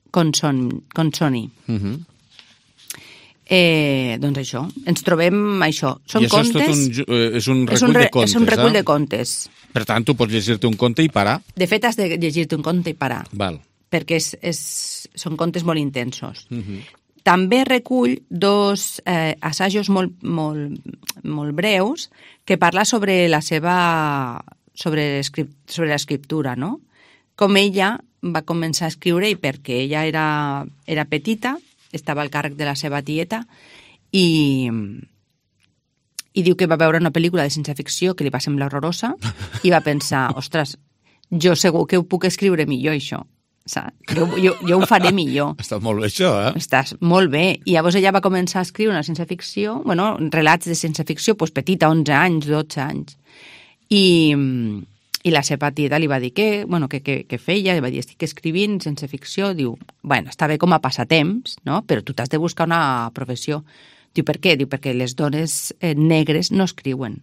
Consoni. Consoni. Uh-huh. eh, doncs això, ens trobem això. Són I això contes... és, tot un, és un recull és un re, de contes, És un recull eh? de contes. Per tant, tu pots llegir-te un conte i parar? De fet, has de llegir-te un conte i parar. Val. Perquè és, és, són contes molt intensos. Uh-huh. També recull dos eh, assajos molt, molt, molt breus que parla sobre la seva sobre, sobre l'escriptura, no? Com ella va començar a escriure i perquè ella era, era petita, estava al càrrec de la seva tieta i, i diu que va veure una pel·lícula de ciència-ficció que li va semblar horrorosa i va pensar, ostres, jo segur que ho puc escriure millor, això. Jo, jo, jo ho faré millor. Està molt bé, això, eh? Estàs molt bé. I llavors ella va començar a escriure una ciència-ficció, bueno, relats de ciència-ficció, doncs petita, onze anys, dotze anys. I, i la seva tieta li va dir que, bueno, que, que, que feia, li va dir, estic escrivint ciència-ficció, diu, bueno, està bé com a passatemps, no? Però tu t'has de buscar una professió. Diu, per què? Diu, perquè les dones eh, negres no escriuen.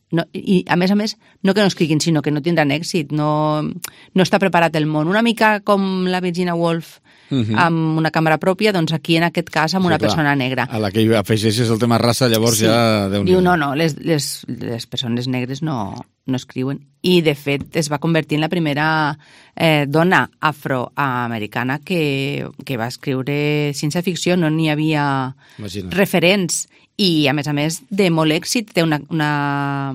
No, i a més a més, no que no escriguin, sinó que no tindran èxit, no, no està preparat el món. Una mica com la Virginia Woolf uh-huh. amb una càmera pròpia, doncs aquí en aquest cas amb sí, una clar. persona negra. A la que afegeixes el tema raça, llavors sí. ja... Diu, no, no, les, les, les persones negres no, no escriuen. I de fet es va convertir en la primera eh, dona afroamericana que, que va escriure ciència-ficció, no n'hi havia Imagina. referents. I, a més a més, de molt èxit, té una, una,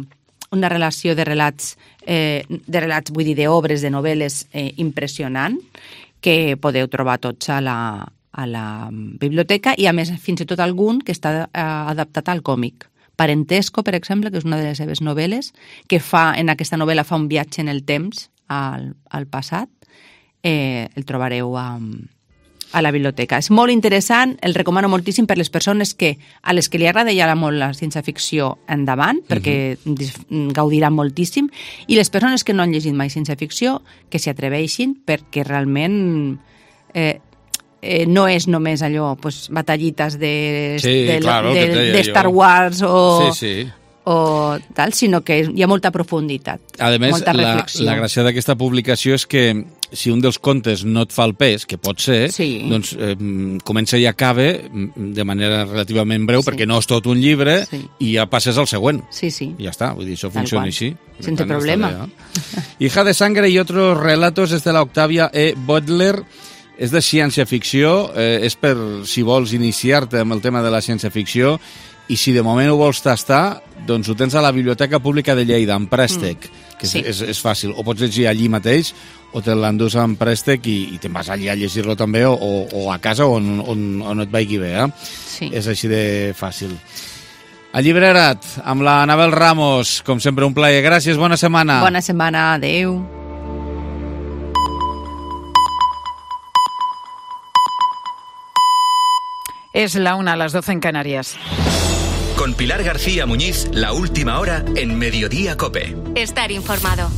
una relació de relats, eh, de relats, vull dir, d'obres, de novel·les eh, impressionant, que podeu trobar tots a la, a la biblioteca, i a més, fins i tot algun que està eh, adaptat al còmic. Parentesco, per exemple, que és una de les seves novel·les, que fa, en aquesta novel·la fa un viatge en el temps al, al passat, eh, el trobareu a... a la biblioteca. És molt interessant, el recomano moltíssim per les persones que, a les que li agrada ja molt la ciència-ficció endavant, perquè uh-huh. gaudiran moltíssim, i les persones que no han llegit mai ciència-ficció, que s'hi atreveixin, perquè realment eh, eh, no és només allò, pues, batallites de, sí, de, claro, de, de, de Star Wars o... Sí, sí. o tal, sinó que hi ha molta profunditat. A més, molta la, reflexió. la gràcia d'aquesta publicació és que si un dels contes no et fa el pes, que pot ser, sí. doncs eh, comença i acaba de manera relativament breu, sí. perquè no és tot un llibre, sí. i ja passes al següent. Sí, sí. I ja està, vull dir, això Tal funciona qual. així. Sense problema. Bé, eh? Hija de sangre y otros relatos és de la Octavia E. Butler. És de ciència-ficció, eh, és per si vols iniciar-te amb el tema de la ciència-ficció, i si de moment ho vols tastar, doncs ho tens a la Biblioteca Pública de Lleida, en préstec, mm, que és, sí. és, és fàcil. O pots llegir allí mateix, o te l'endús en préstec i, i te'n vas allí a llegir-lo també, o, o, o a casa on, on, on et vagi bé. Eh? Sí. És així de fàcil. Allibrerat, amb la Anabel Ramos, com sempre un plaer. Gràcies, bona setmana. Bona setmana, adeu. Es la una a las doce en Canarias. Con Pilar García Muñiz, la última hora en Mediodía COPE. Estar informado.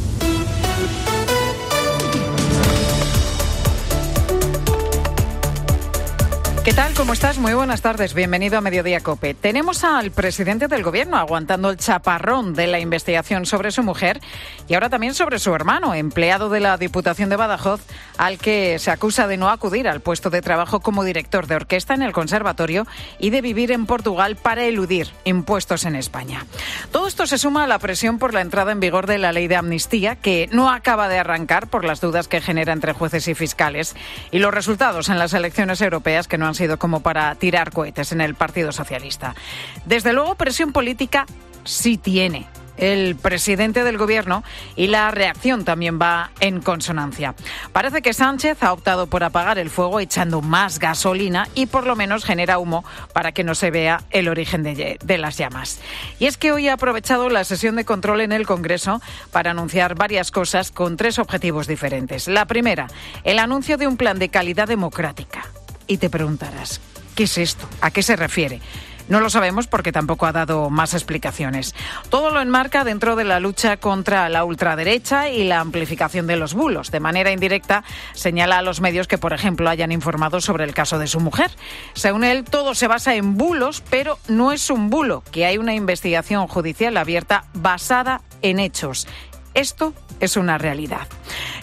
¿Qué tal? ¿Cómo estás? Muy buenas tardes. Bienvenido a Mediodía COPE. Tenemos al presidente del gobierno aguantando el chaparrón de la investigación sobre su mujer y ahora también sobre su hermano, empleado de la Diputación de Badajoz, al que se acusa de no acudir al puesto de trabajo como director de orquesta en el conservatorio y de vivir en Portugal para eludir impuestos en España. Todo esto se suma a la presión por la entrada en vigor de la ley de amnistía, que no acaba de arrancar por las dudas que genera entre jueces y fiscales, y los resultados en las elecciones europeas, que no han sido como para tirar cohetes en el Partido Socialista. Desde luego, presión política sí tiene el presidente del gobierno y la reacción también va en consonancia. Parece que Sánchez ha optado por apagar el fuego echando más gasolina y por lo menos genera humo para que no se vea el origen de, de las llamas. Y es que hoy ha aprovechado la sesión de control en el Congreso para anunciar varias cosas con tres objetivos diferentes. La primera, el anuncio de un plan de calidad democrática. Y te preguntarás, ¿qué es esto? ¿A qué se refiere? No lo sabemos porque tampoco ha dado más explicaciones. Todo lo enmarca dentro de la lucha contra la ultraderecha y la amplificación de los bulos. De manera indirecta, señala a los medios que, por ejemplo, hayan informado sobre el caso de su mujer. Según él, todo se basa en bulos, pero no es un bulo, que hay una investigación judicial abierta basada en hechos. Esto es una realidad.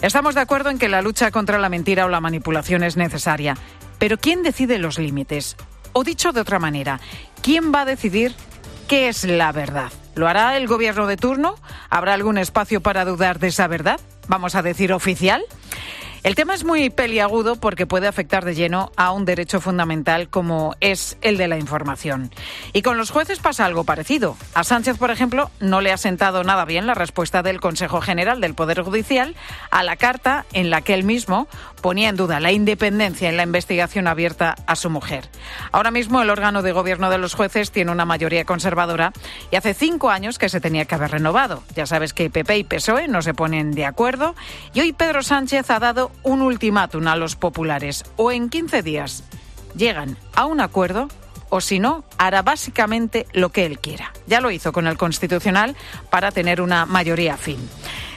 Estamos de acuerdo en que la lucha contra la mentira o la manipulación es necesaria. Pero ¿quién decide los límites? O dicho de otra manera, ¿quién va a decidir qué es la verdad? ¿Lo hará el gobierno de turno? ¿Habrá algún espacio para dudar de esa verdad? ¿Vamos a decir oficial? El tema es muy peliagudo porque puede afectar de lleno a un derecho fundamental como es el de la información. Y con los jueces pasa algo parecido. A Sánchez, por ejemplo, no le ha sentado nada bien la respuesta del Consejo General del Poder Judicial a la carta en la que él mismo ponía en duda la independencia en la investigación abierta a su mujer. Ahora mismo el órgano de gobierno de los jueces tiene una mayoría conservadora y hace cinco años que se tenía que haber renovado. Ya sabes que P P y P S O E no se ponen de acuerdo y hoy Pedro Sánchez ha dado un ultimátum a los populares. O en quince días llegan a un acuerdo o si no, hará básicamente lo que él quiera. Ya lo hizo con el Constitucional para tener una mayoría afín.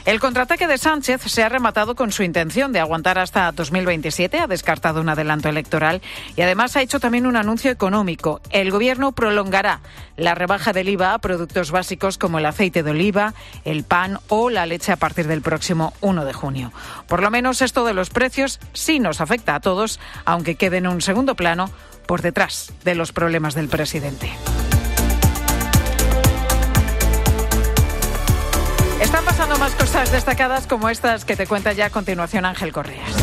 El contraataque de Sánchez se ha rematado con su intención de aguantar hasta dos mil veintisiete, ha descartado un adelanto electoral y además ha hecho también un anuncio económico. El Gobierno prolongará la rebaja del I V A a productos básicos como el aceite de oliva, el pan o la leche a partir del próximo uno de junio. Por lo menos esto de los precios sí nos afecta a todos, aunque quede en un segundo plano por detrás de los problemas del presidente. Están pasando más cosas destacadas como estas que te cuenta ya a continuación Ángel Correas.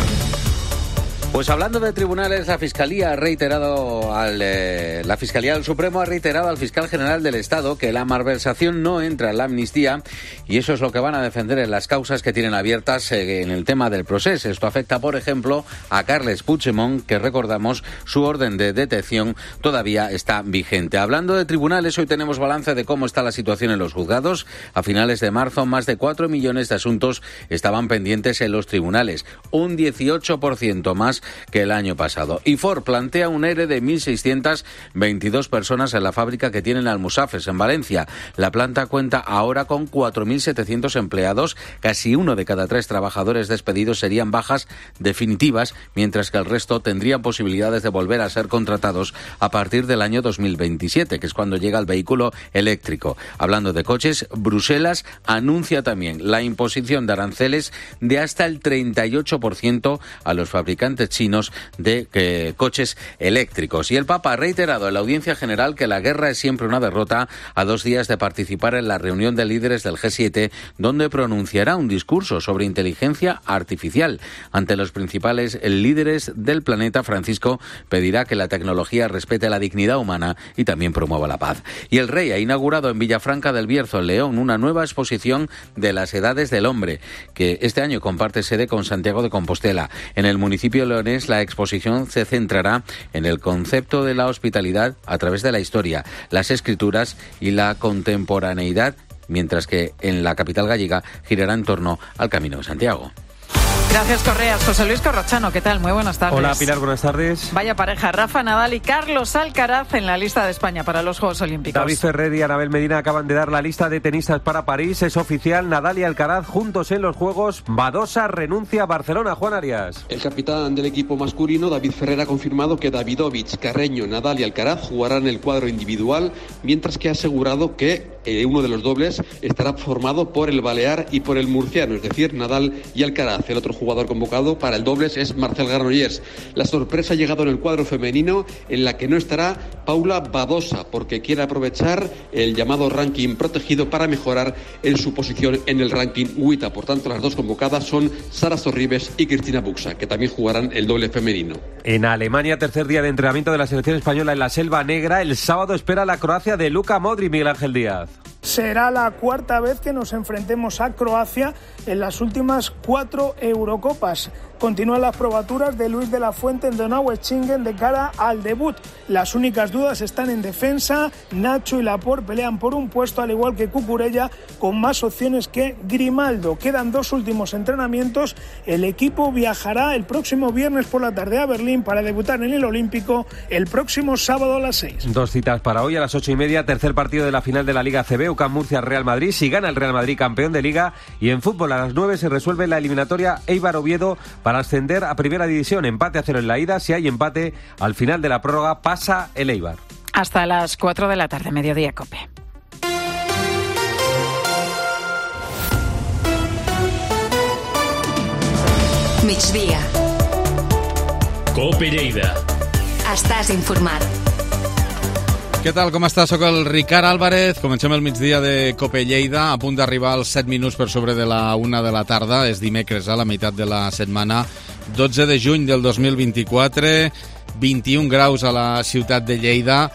Pues hablando de tribunales, la Fiscalía ha reiterado al eh, la Fiscalía del Supremo ha reiterado al fiscal general del Estado que la malversación no entra en la amnistía y eso es lo que van a defender en las causas que tienen abiertas eh, en el tema del proceso. Esto afecta, por ejemplo, a Carles Puigdemont, que recordamos su orden de detención todavía está vigente. Hablando de tribunales, hoy tenemos balance de cómo está la situación en los juzgados. A finales de marzo, más de cuatro millones de asuntos estaban pendientes en los tribunales, un dieciocho por ciento más que el año pasado. Y Ford plantea un ERE de mil seiscientas veintidós personas en la fábrica que tienen Almusafes, en Valencia. La planta cuenta ahora con cuatro mil setecientos empleados. Casi uno de cada tres trabajadores despedidos serían bajas definitivas, mientras que el resto tendrían posibilidades de volver a ser contratados a partir del año dos mil veintisiete, que es cuando llega el vehículo eléctrico. Hablando de coches, Bruselas anuncia también la imposición de aranceles de hasta el treinta y ocho por ciento a los fabricantes chinos de eh, coches eléctricos. Y el Papa ha reiterado en la audiencia general que la guerra es siempre una derrota, a dos días de participar en la reunión de líderes del G siete, donde pronunciará un discurso sobre inteligencia artificial. Ante los principales líderes del planeta, Francisco pedirá que la tecnología respete la dignidad humana y también promueva la paz. Y el rey ha inaugurado en Villafranca del Bierzo, en León, una nueva exposición de las edades del hombre, que este año comparte sede con Santiago de Compostela. En el municipio leonés, la exposición se centrará en el concepto de la hospitalidad a través de la historia, las escrituras y la contemporaneidad, mientras que en la capital gallega girará en torno al Camino de Santiago. Gracias, Correas. José Luis Corrochano, ¿qué tal? Muy buenas tardes. Hola, Pilar, buenas tardes. Vaya pareja, Rafa Nadal y Carlos Alcaraz en la lista de España para los Juegos Olímpicos. David Ferrer y Anabel Medina acaban de dar la lista de tenistas para París. Es oficial, Nadal y Alcaraz juntos en los Juegos. Badosa renuncia a Barcelona. Juan Arias. El capitán del equipo masculino, David Ferrer, ha confirmado que Davidovich, Carreño, Nadal y Alcaraz jugarán el cuadro individual, mientras que ha asegurado que eh, uno de los dobles estará formado por el balear y por el murciano, es decir, Nadal y Alcaraz. El otro jugador convocado para el dobles es Marcel Granollers. La sorpresa ha llegado en el cuadro femenino, en la que no estará Paula Badosa, porque quiere aprovechar el llamado ranking protegido para mejorar en su posición en el ranking W I T A. Por tanto, las dos convocadas son Sara Sorribes y Cristina Buxa, que también jugarán el doble femenino. En Alemania, tercer día de entrenamiento de la selección española en la Selva Negra. El sábado espera la Croacia de Luka Modric. Miguel Ángel Díaz. Será la cuarta vez que nos enfrentemos a Croacia en las últimas cuatro Eurocopas. Continúan las probaturas de Luis de la Fuente en Donaueschingen de cara al debut. Las únicas dudas están en defensa. Nacho y Laporte pelean por un puesto, al igual que Cucurella, con más opciones que Grimaldo. Quedan dos últimos entrenamientos. El equipo viajará el próximo viernes por la tarde a Berlín para debutar en el Olímpico el próximo sábado a las seis. Dos citas para hoy a las ocho y media. Tercer partido de la final de la Liga C B. U C A M Murcia Real Madrid. Si gana el Real Madrid, campeón de Liga. Y en fútbol a las nueve se resuelve la eliminatoria Eibar Oviedo para ascender a Primera División. Empate a cero en la ida. Si hay empate, al final de la prórroga pasa el Eibar. Hasta las cuatro de la tarde, Mediodía Cope. Migdia. Cope Lleida. Estàs informat. Què tal, com estàs? Soc el Ricard Álvarez. Comencem el migdia de Cope Lleida, a punt d'arribar als set minuts per sobre de la una de la tarda. És dimecres, a la meitat de la setmana, dotze de juny del dos mil vint-i-quatre, vint-i-un graus a la ciutat de Lleida.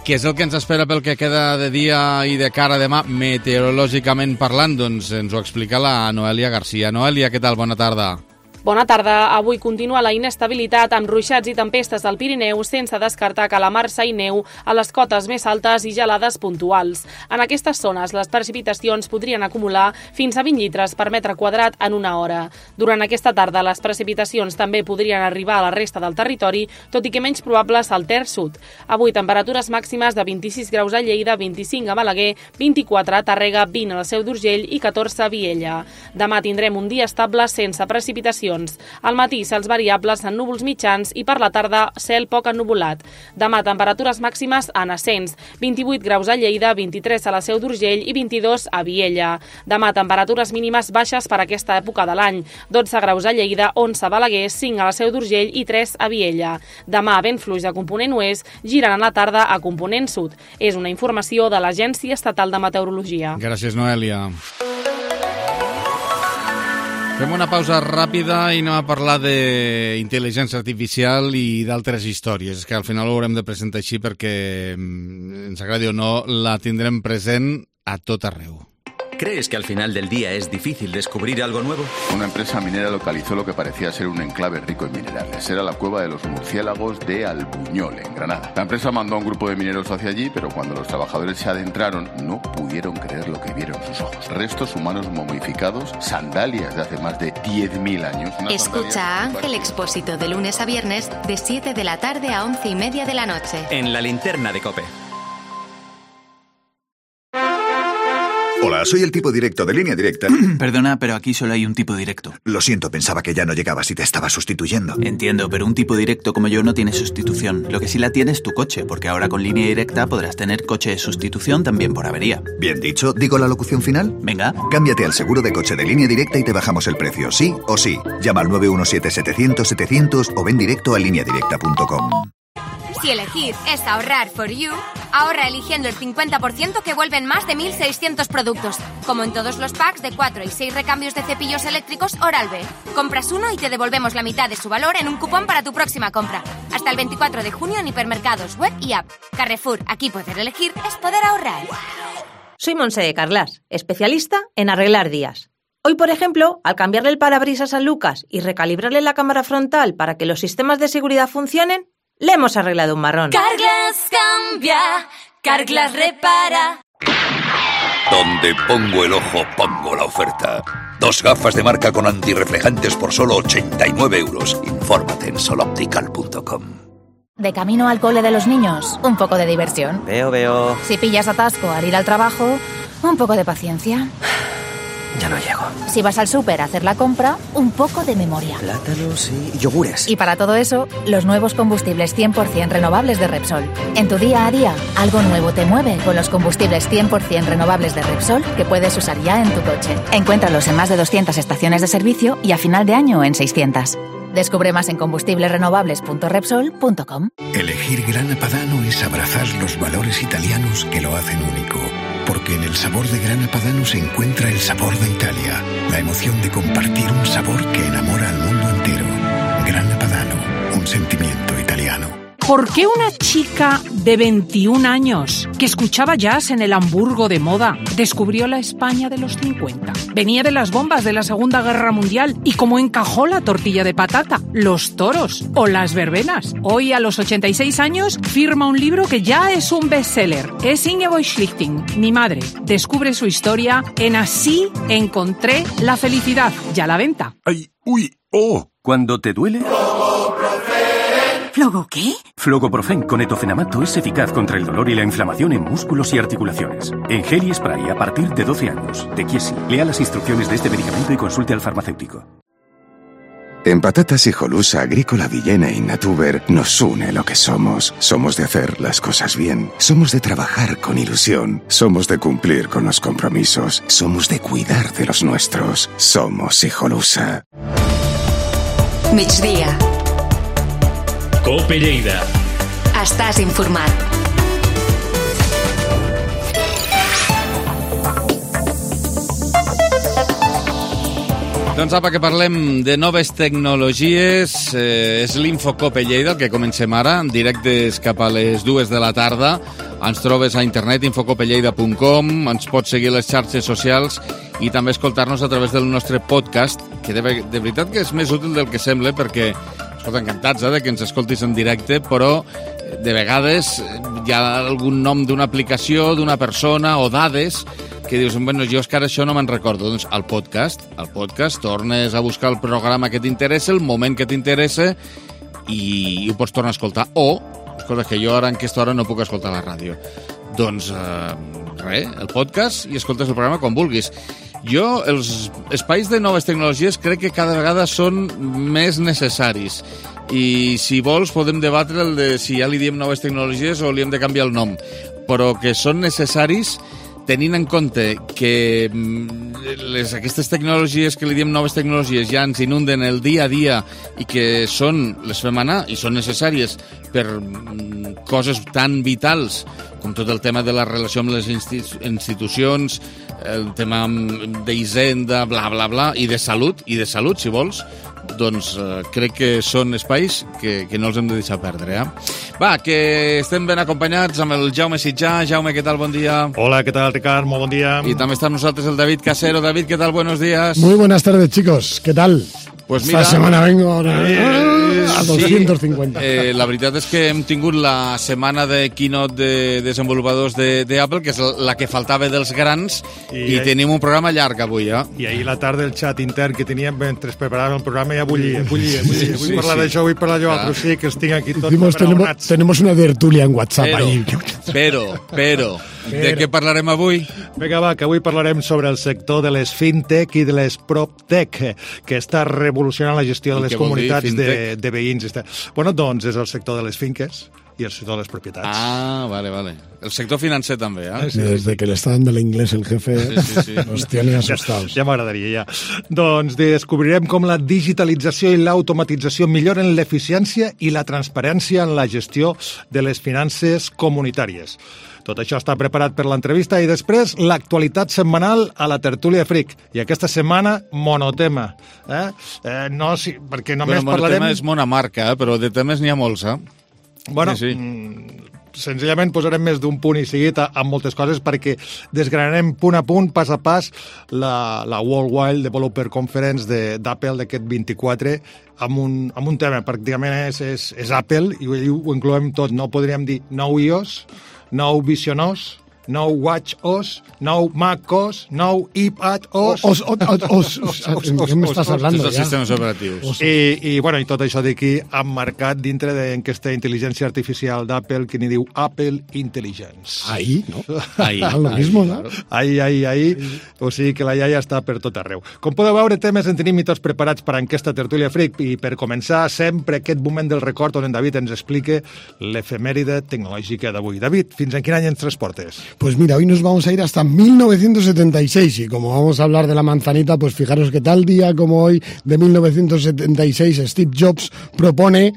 Què és el que ens espera pel que queda de dia i de cara a demà, meteorològicament parlant? Doncs ens ho explica la Noelia Garcia. Noelia, què tal? Bona tarda. Bona tarda. Avui continua la inestabilitat amb ruixats i tempestes al Pirineu, sense descartar calamarsa i neu a les cotes més altes i gelades puntuals. En aquestes zones, les precipitacions podrien acumular fins a vint litres per metre quadrat en una hora. Durant aquesta tarda, les precipitacions també podrien arribar a la resta del territori, tot i que menys probables al Ter Sud. Avui, temperatures màximes de vint-i-sis graus a Lleida, vint-i-cinc a Balaguer, vint-i-quatre a Tàrrega, vint a la Seu d'Urgell i catorze a Viella. Demà tindrem un dia estable sense precipitacions. Al matí, cels variables en núvols mitjans i per la tarda, cel poc ennuvolat. Demà, temperatures màximes en ascens. vint-i-vuit graus a Lleida, vint-i-tres a la Seu d'Urgell i vint-i-dos a Viella. Demà, temperatures mínimes baixes per aquesta època de l'any. dotze graus a Lleida, onze a Balaguer, cinc a la Seu d'Urgell i tres a Viella. Demà, vent fluix de component oest, giren a la tarda a component sud. És una informació de l'Agència Estatal de Meteorologia. Gràcies, Noelia. Fem una pausa ràpida i anem a parlar d'intel·ligència artificial i d'altres històries. És que al final ho haurem de presentar així perquè, ens agradi o no, la tindrem present a tot arreu. ¿Crees que al final del día es difícil descubrir algo nuevo? Una empresa minera localizó lo que parecía ser un enclave rico en minerales. Era la cueva de los murciélagos de Albuñol, en Granada. La empresa mandó a un grupo de mineros hacia allí, pero cuando los trabajadores se adentraron, no pudieron creer lo que vieron sus ojos. Restos humanos momificados, sandalias de hace más de diez mil años. Escucha a Ángel Expósito de lunes a viernes, de siete de la tarde a once y media de la noche. En la linterna de COPE. Hola, soy el tipo directo de Línea Directa. Perdona, pero aquí solo hay un tipo directo. Lo siento, pensaba que ya no llegabas y te estaba sustituyendo. Entiendo, pero un tipo directo como yo no tiene sustitución. Lo que sí la tiene es tu coche, porque ahora con Línea Directa podrás tener coche de sustitución también por avería. Bien dicho, ¿digo la locución final? Venga. Cámbiate al seguro de coche de Línea Directa y te bajamos el precio, sí o sí. Llama al nueve uno siete setecientos setecientos o ven directo a línea directa punto com. Si elegir es ahorrar for you, ahorra eligiendo el cincuenta por ciento que vuelven más de mil seiscientos productos, como en todos los packs de cuatro y seis recambios de cepillos eléctricos Oral-B. Compras uno y te devolvemos la mitad de su valor en un cupón para tu próxima compra. Hasta el veinticuatro de junio en hipermercados, web y app. Carrefour, aquí poder elegir es poder ahorrar. Soy Montse Carlas, especialista en arreglar días. Hoy, por ejemplo, al cambiarle el parabrisas a Lucas y recalibrarle la cámara frontal para que los sistemas de seguridad funcionen, le hemos arreglado un marrón. Carglass cambia, Carglass repara. Donde pongo el ojo, pongo la oferta. Dos gafas de marca con antirreflejantes por solo ochenta y nueve euros. Infórmate en soloptical punto com. De camino al cole de los niños, un poco de diversión. Veo, veo. Si pillas atasco al ir al trabajo, un poco de paciencia. Ya no llego. Si vas al súper a hacer la compra, un poco de memoria. Plátanos y yogures. Y para todo eso, los nuevos combustibles cien por ciento renovables de Repsol. En tu día a día, algo nuevo te mueve con los combustibles cien por ciento renovables de Repsol que puedes usar ya en tu coche. Encuéntralos en más de doscientas estaciones de servicio y a final de año en seiscientas. Descubre más en combustibles renovables punto repsol punto com. Elegir Grana Padano es abrazar los valores italianos que lo hacen único. Porque en el sabor de Grana Padano se encuentra el sabor de Italia, la emoción de compartir un sabor que enamora al mundo entero. Grana Padano, un sentimiento italiano. ¿Por qué una chica de veintiún años que escuchaba jazz en el Hamburgo de moda descubrió la España de los cincuenta? Venía de las bombas de la Segunda Guerra Mundial y cómo encajó la tortilla de patata, los toros o las verbenas. Hoy, a los ochenta y seis años, firma un libro que ya es un bestseller. Es Ingeborg Schlichting, mi madre. Descubre su historia en Así encontré la felicidad. Ya a la venta. Ay, uy, oh, cuando te duele... ¿Flogo qué? Flogoprofen con etofenamato es eficaz contra el dolor y la inflamación en músculos y articulaciones. En gel y spray a partir de doce años. De Chiesi. Lea las instrucciones de este medicamento y consulte al farmacéutico. En Patatas Hijolusa, Agrícola Villena y Natuber nos une lo que somos. Somos de hacer las cosas bien. Somos de trabajar con ilusión. Somos de cumplir con los compromisos. Somos de cuidar de los nuestros. Somos Hijolusa. Migdia. COPE Lleida. Estàs informat. Doncs apa, que parlem de noves tecnologies. Eh, és l'Infocope Lleida, el que comencem ara, en directes cap a les dues de la tarda. Ens trobes a internet, infocope lleida punt com, ens pots seguir a les xarxes socials i també escoltar-nos a través del nostre podcast, que de, de veritat que és més útil del que sembla, perquè escolta, encantats eh, de que ens escoltis en directe, però de vegades hi ha algun nom d'una aplicació, d'una persona o dades que dius, bueno, jo és que ara això no me'n recordo. Doncs al podcast, al podcast tornes a buscar el programa que t'interessa, el moment que t'interessa i, i ho pots tornar a escoltar. O, escolta, que jo ara en aquesta hora no puc escoltar la ràdio. Doncs, eh, res, el podcast i escoltes el programa quan vulguis. Jo, els espais de noves tecnologies crec que cada vegada són més necessaris. I si vols podem debatre el de si ja li diem noves tecnologies o li hem de canviar el nom. Però que són necessaris tenint en compte que les, aquestes tecnologies que li diem noves tecnologies ja ens inunden el dia a dia i que són, les fem anar i són necessàries per coses tan vitals com tot el tema de la relació amb les institucions, el tema d'Hisenda, bla, bla, bla, i de salut, i de salut, si vols, doncs eh, crec que són espais que, que no els hem de deixar perdre. Eh? Va, que estem ben acompanyats amb el Jaume Sitjà. Jaume, què tal? Bon dia. Hola, què tal, Ricard? Molt bon dia. I també està amb nosaltres el David Casero. David, què tal? Buenos días. Muy buenas tardes, chicos. ¿Qué tal? Pues mira, esta semana vengo ahora eh, a doscientos cincuenta. Sí, eh, la veritat és que hem tingut la setmana de keynote de desenvolupadors de, de Apple, que és la que faltava dels grans, i, i ahí, tenim un programa llarg avui, eh? I ahir la tarda el xat intern que teníem mentre preparàvem el programa ja bullia, bullia, bullia. Vull sí, parlar sí. d'això, vull parlar d'allò altre, sí, que els tinc aquí tots Hicimos, tenemos, tenemos una tertulia en WhatsApp pero, ahí. Però, però, de què parlarem avui? Vinga, va, que avui parlarem sobre el sector de les fintech i de les proptech, que està revolucionant la gestió de les comunitats de, de veïns. Bueno, doncs és el sector de les finques i el sector de les propietats. Ah, vale, vale. El sector financer també, eh? Sí, Desde que le está dando el inglés el jefe, sí, sí, sí. Nos tiene asustados. Ja, ja m'agradaria, ja. Doncs descobrirem com la digitalització i l'automatització milloren l'eficiència i la transparència en la gestió de les finances comunitàries. Tot això està preparat per l'entrevista i després l'actualitat setmanal a la tertúlia Fric. I aquesta setmana, monotema. Eh? Eh, no, sí, perquè només bueno, parlarem... Monotema és monamarca, eh? Però de temes n'hi ha molts, eh? Bueno, sí, sí. Mm, senzillament posarem més d'un punt i seguit amb moltes coses perquè desgranarem punt a punt, pas a pas, la, la Worldwide Developer Conference d'Apple d'aquest vint-i-quatre amb un, amb un tema. Pràcticament és, és, és Apple i ho, ho incloem tot. No podríem dir nou iOS, nou Vision O S, nou Watch O S, nou Mac O S, nou iPad O S... Os, os, os, os, ¿qué me estás hablando ya? Sistemes operatius. I, i, bueno, i tot això d'aquí emmarcat dintre d'aquesta intel·ligència artificial d'Apple que n'hi diu Apple Intelligence. Ahí, ¿no? Ahí. Lo mismo, ¿no? Ahí, ahí, ahí. O sigui que la iaia està per tot arreu. Com podeu veure, temes en tenim i tots preparats per a aquesta tertúlia Fric i per començar sempre aquest moment del record on en David ens explique l'efemèride tecnològica d'avui. David, fins en quin any ens transportes? Pues mira, hoy nos vamos a ir hasta mil novecientos setenta y seis y como vamos a hablar de la manzanita, pues fijaros que tal día como hoy de mil novecientos setenta y seis Steve Jobs propone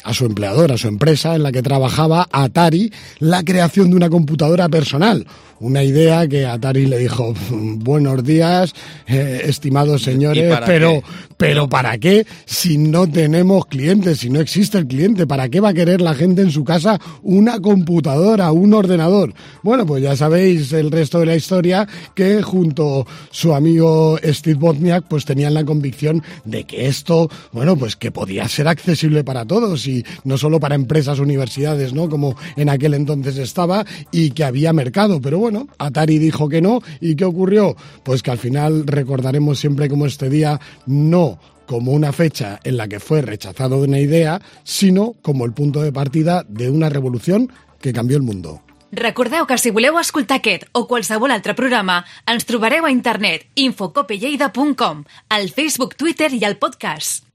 a su empleador, a su empresa en la que trabajaba, Atari, la creación de una computadora personal. Una idea que Atari le dijo, buenos días, eh, estimados señores, pero, pero ¿para qué si no tenemos clientes, si no existe el cliente? ¿Para qué va a querer la gente en su casa una computadora, un ordenador? Bueno, pues ya sabéis el resto de la historia, que junto a su amigo Steve Wozniak pues tenían la convicción de que esto, bueno, pues que podía ser accesible para todos y no solo para empresas, universidades, ¿no? Como en aquel entonces estaba, y que había mercado, pero bueno, Atari dijo que no. ¿Y qué ocurrió? Pues que al final recordaremos siempre como este día no como una fecha en la que fue rechazado una idea, sino como el punto de partida de una revolución que cambió el mundo. Recordeu que si voleu escoltar aquest o qualsevol altre programa, ens trobareu a internet infocopelleida punt com, al Facebook, Twitter i al podcast.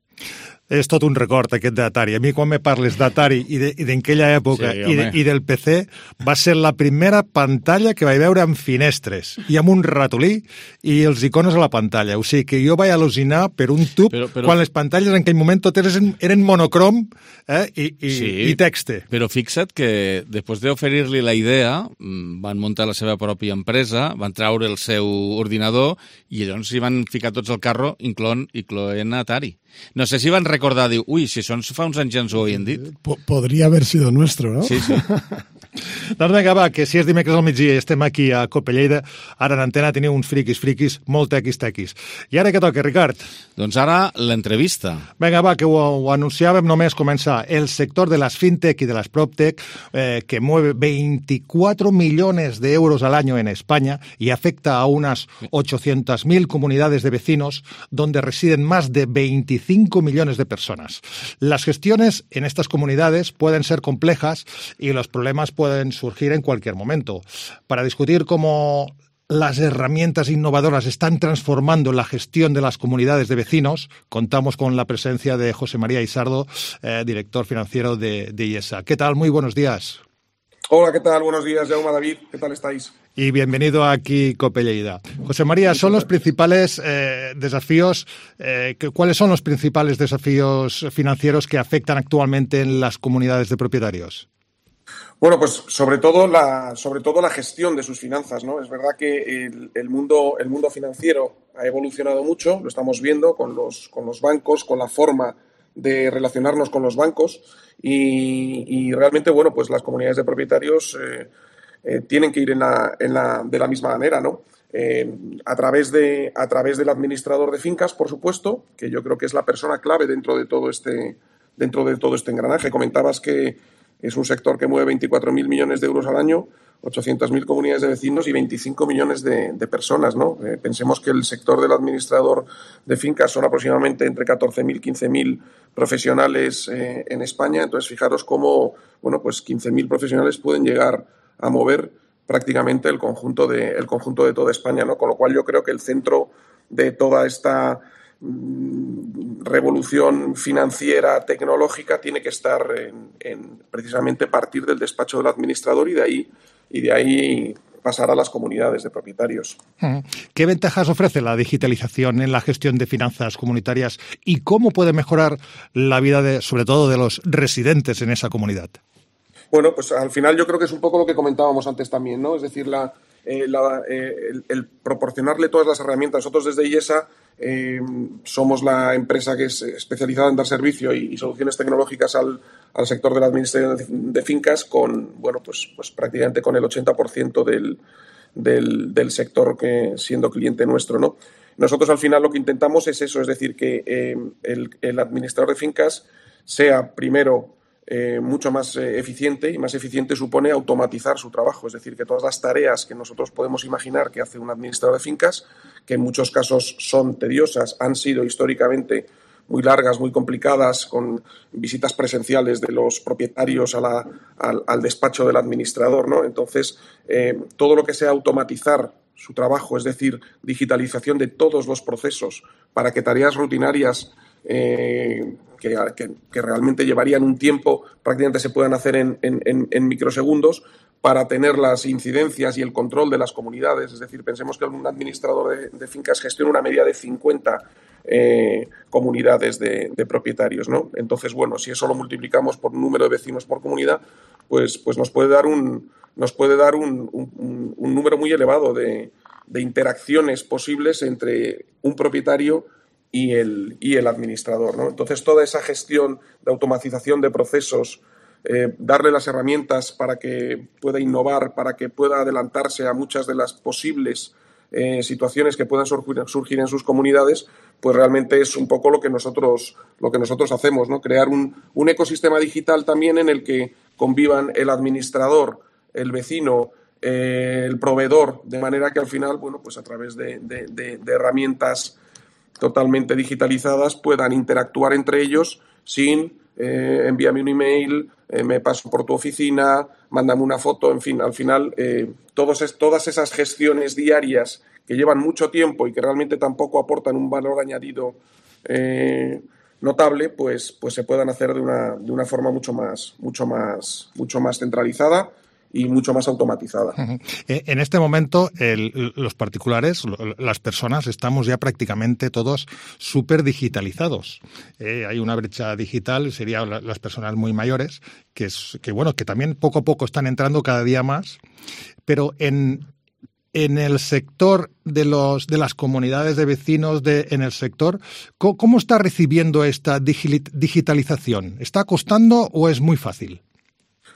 És tot un record, aquest d'Atari. A mi, quan me parles d'Atari i d'aquella època sí, i, de, i del P C, va ser la primera pantalla que vaig veure amb finestres i amb un ratolí i els icones a la pantalla. O sigui que jo vaig al·lucinar per un tub però, però... quan les pantalles en aquell moment totes eren, eren monocrom eh, i, i, sí, i texte. Però fixa't que després d'oferir-li la idea van muntar la seva pròpia empresa, van traure el seu ordinador i llavors s'hi van ficar tots al carro, incloent, incloent Atari. No sé si van recordar, diu, ui, si això fa uns anys ja ens ho havien dit. Podria haver sido nuestro, ¿no? Sí, sí. Doncs vinga, va, que si és dimecres al migdia i estem aquí a Copelleida, ara en antena teniu uns friquis, friquis, molt tequis, tequis. I ara què toca, Ricard? Doncs ara l'entrevista. Vinga, va, que ho, ho anunciàvem només començar. El sector de las fintech y de las proptech, eh, que mueve veinticuatro millones de euros al año en España y afecta a unas ochocientas mil comunidades de vecinos donde residen más de veinticinco millones de personas. Las gestiones en estas comunidades pueden ser complejas y los problemas pueden surgir en cualquier momento. Para discutir cómo las herramientas innovadoras están transformando la gestión de las comunidades de vecinos, contamos con la presencia de José María Isardo, eh, director financiero de, de I E S A. ¿Qué tal? Muy buenos días. Hola, ¿qué tal? Buenos días, Jaume, David. ¿Qué tal estáis? Y bienvenido aquí, Copelleida. José María, ¿son los principales eh, desafíos, eh, que, cuáles son los principales desafíos financieros que afectan actualmente en las comunidades de propietarios? Bueno, pues sobre todo la, sobre todo la gestión de sus finanzas, ¿no? Es verdad que el, el mundo, el mundo financiero ha evolucionado mucho, lo estamos viendo con los, con los bancos, con la forma de relacionarnos con los bancos y, y realmente, bueno, pues las comunidades de propietarios eh, eh, tienen que ir en la, en la, de la misma manera, ¿no? Eh, a través de, a través del administrador de fincas, por supuesto, que yo creo que es la persona clave dentro de todo este, dentro de todo este engranaje. Comentabas que es un sector que mueve veinticuatro mil millones de euros al año, ochocientas mil comunidades de vecinos y veinticinco millones de, de personas, ¿no? Eh, pensemos que el sector del administrador de fincas son aproximadamente entre catorce mil, quince mil profesionales eh, en España. Entonces, fijaros cómo, bueno, pues quince mil profesionales pueden llegar a mover prácticamente el conjunto de, el conjunto de toda España, ¿no? Con lo cual yo creo que el centro de toda esta revolución financiera, tecnológica, tiene que estar en, en precisamente partir del despacho del administrador y de ahí, y de ahí pasar a las comunidades de propietarios. ¿Qué ventajas ofrece la digitalización en la gestión de finanzas comunitarias y cómo puede mejorar la vida, de, sobre todo, de los residentes en esa comunidad? Bueno, pues al final yo creo que es un poco lo que comentábamos antes también, ¿no? Es decir, la, eh, la, eh, el, el proporcionarle todas las herramientas. Nosotros desde IESA eh, somos la empresa que es especializada en dar servicio y, y soluciones tecnológicas al, al sector de la administración de, de fincas con, bueno, pues, pues prácticamente con el ochenta por ciento del, del, del sector que siendo cliente nuestro, ¿no? Nosotros al final lo que intentamos es eso, es decir, que eh, el, el administrador de fincas sea primero Eh, mucho más eh, eficiente, y más eficiente supone automatizar su trabajo, es decir, que todas las tareas que nosotros podemos imaginar que hace un administrador de fincas, que en muchos casos son tediosas, han sido históricamente muy largas, muy complicadas, con visitas presenciales de los propietarios a la, al, al despacho del administrador, ¿no? Entonces, eh, todo lo que sea automatizar su trabajo, es decir, digitalización de todos los procesos para que tareas rutinarias Eh, que, que, que realmente llevarían un tiempo, prácticamente se puedan hacer en, en, en microsegundos para tener las incidencias y el control de las comunidades. Es decir, pensemos que un administrador de, de fincas gestiona una media de cincuenta eh, comunidades de, de propietarios, ¿no? Entonces, bueno, si eso lo multiplicamos por número de vecinos por comunidad, pues, pues nos puede dar un, nos puede dar un, un, un número muy elevado de, de interacciones posibles entre un propietario y el, y el administrador, ¿no? Entonces, toda esa gestión de automatización de procesos, eh, darle las herramientas para que pueda innovar, para que pueda adelantarse a muchas de las posibles eh, situaciones que puedan surgir, surgir en sus comunidades, pues realmente es un poco lo que nosotros, lo que nosotros hacemos, ¿no? Crear un, un ecosistema digital también en el que convivan el administrador, el vecino, eh, el proveedor, de manera que al final, bueno, pues a través de, de, de, de herramientas totalmente digitalizadas puedan interactuar entre ellos sin eh, envíame un email, eh, me paso por tu oficina, mándame una foto, en fin, al final eh, todos es, todas esas gestiones diarias que llevan mucho tiempo y que realmente tampoco aportan un valor añadido eh, notable, pues, pues se puedan hacer de una, de una forma mucho más, mucho más, mucho más centralizada y mucho más automatizada. En este momento, el, los particulares, las personas, estamos ya prácticamente todos súper digitalizados. Eh, hay una brecha digital, serían las personas muy mayores, que, es, que, bueno, que también poco a poco están entrando cada día más, pero en... En el sector de los de las comunidades de vecinos, de, en el sector, ¿cómo, cómo está recibiendo esta digitalización? ¿Está costando o es muy fácil?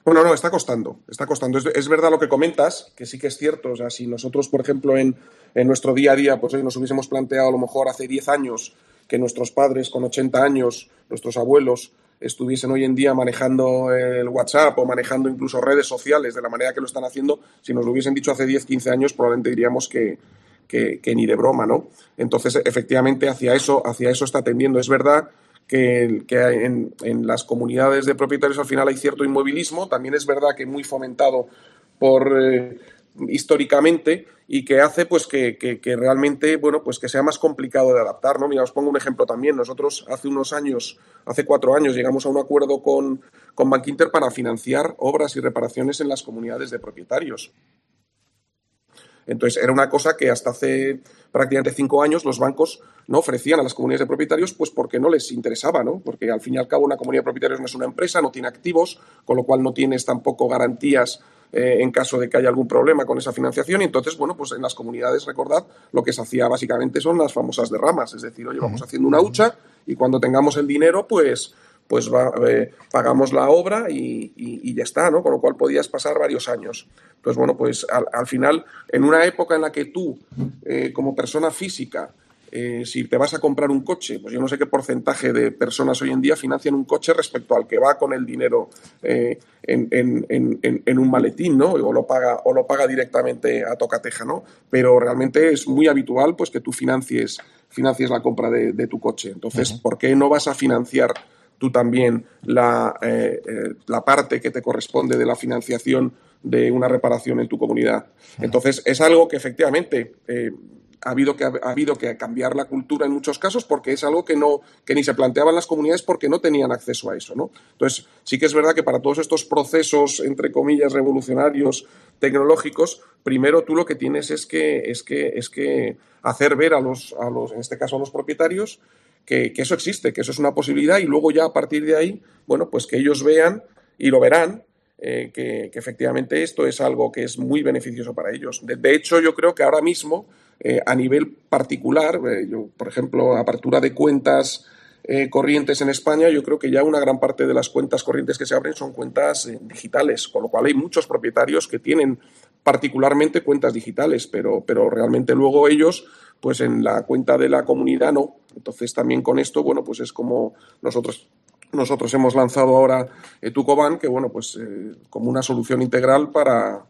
Bueno, no, está costando, está costando. Es, es verdad lo que comentas, que sí que es cierto. O sea, si nosotros, por ejemplo, en, en nuestro día a día, pues nos hubiésemos planteado a lo mejor hace diez años que nuestros padres con ochenta años, nuestros abuelos, estuviesen hoy en día manejando el WhatsApp o manejando incluso redes sociales de la manera que lo están haciendo, si nos lo hubiesen dicho hace diez, quince años, probablemente diríamos que, que, que ni de broma, ¿no? Entonces, efectivamente, hacia eso, hacia eso está tendiendo. Es verdad que, que en, en las comunidades de propietarios al final hay cierto inmovilismo, también es verdad que muy fomentado por... Eh, históricamente y que hace pues que, que, que realmente bueno pues que sea más complicado de adaptar, ¿no? Mira, os pongo un ejemplo también. Nosotros hace unos años, hace cuatro años, llegamos a un acuerdo con, con Bankinter para financiar obras y reparaciones en las comunidades de propietarios. Entonces, era una cosa que hasta hace prácticamente cinco años los bancos no ofrecían a las comunidades de propietarios, pues porque no les interesaba, ¿no? Porque al fin y al cabo una comunidad de propietarios no es una empresa, no tiene activos, con lo cual no tienes tampoco garantías eh, en caso de que haya algún problema con esa financiación. Y entonces, bueno, pues en las comunidades, recordad, lo que se hacía básicamente son las famosas derramas, es decir, oye, vamos haciendo una hucha y cuando tengamos el dinero, pues... pues va, eh, pagamos la obra y, y, y ya está, ¿no? Con lo cual podías pasar varios años. Entonces, bueno, pues al, al final, en una época en la que tú, eh, como persona física, eh, si te vas a comprar un coche, pues yo no sé qué porcentaje de personas hoy en día financian un coche respecto al que va con el dinero eh, en, en, en, en un maletín, ¿no? O lo paga, o lo paga directamente a tocateja, ¿no? Pero realmente es muy habitual pues que tú financies, financies la compra de, de tu coche. Entonces, uh-huh. ¿por qué no vas a financiar tú también la, eh, eh, la parte que te corresponde de la financiación de una reparación en tu comunidad? Entonces, es algo que efectivamente eh, ha, habido que, ha habido que cambiar la cultura en muchos casos porque es algo que, no, que ni se planteaban las comunidades porque no tenían acceso a eso, ¿no? Entonces, sí que es verdad que para todos estos procesos, entre comillas, revolucionarios, tecnológicos, primero tú lo que tienes es que, es que, es que hacer ver a los, a los, en este caso a los propietarios, Que, que eso existe, que eso es una posibilidad y luego ya a partir de ahí, bueno, pues que ellos vean y lo verán, eh, que, que efectivamente esto es algo que es muy beneficioso para ellos. De, de hecho, yo creo que ahora mismo, eh, a nivel particular, eh, yo, por ejemplo, apertura de cuentas eh, corrientes en España, yo creo que ya una gran parte de las cuentas corrientes que se abren son cuentas eh, digitales, con lo cual hay muchos propietarios que tienen particularmente cuentas digitales, pero, pero realmente luego ellos, pues en la cuenta de la comunidad no. Entonces también con esto, bueno, pues es como nosotros nosotros hemos lanzado ahora eh, Tucoban, que bueno, pues eh, como una solución integral para,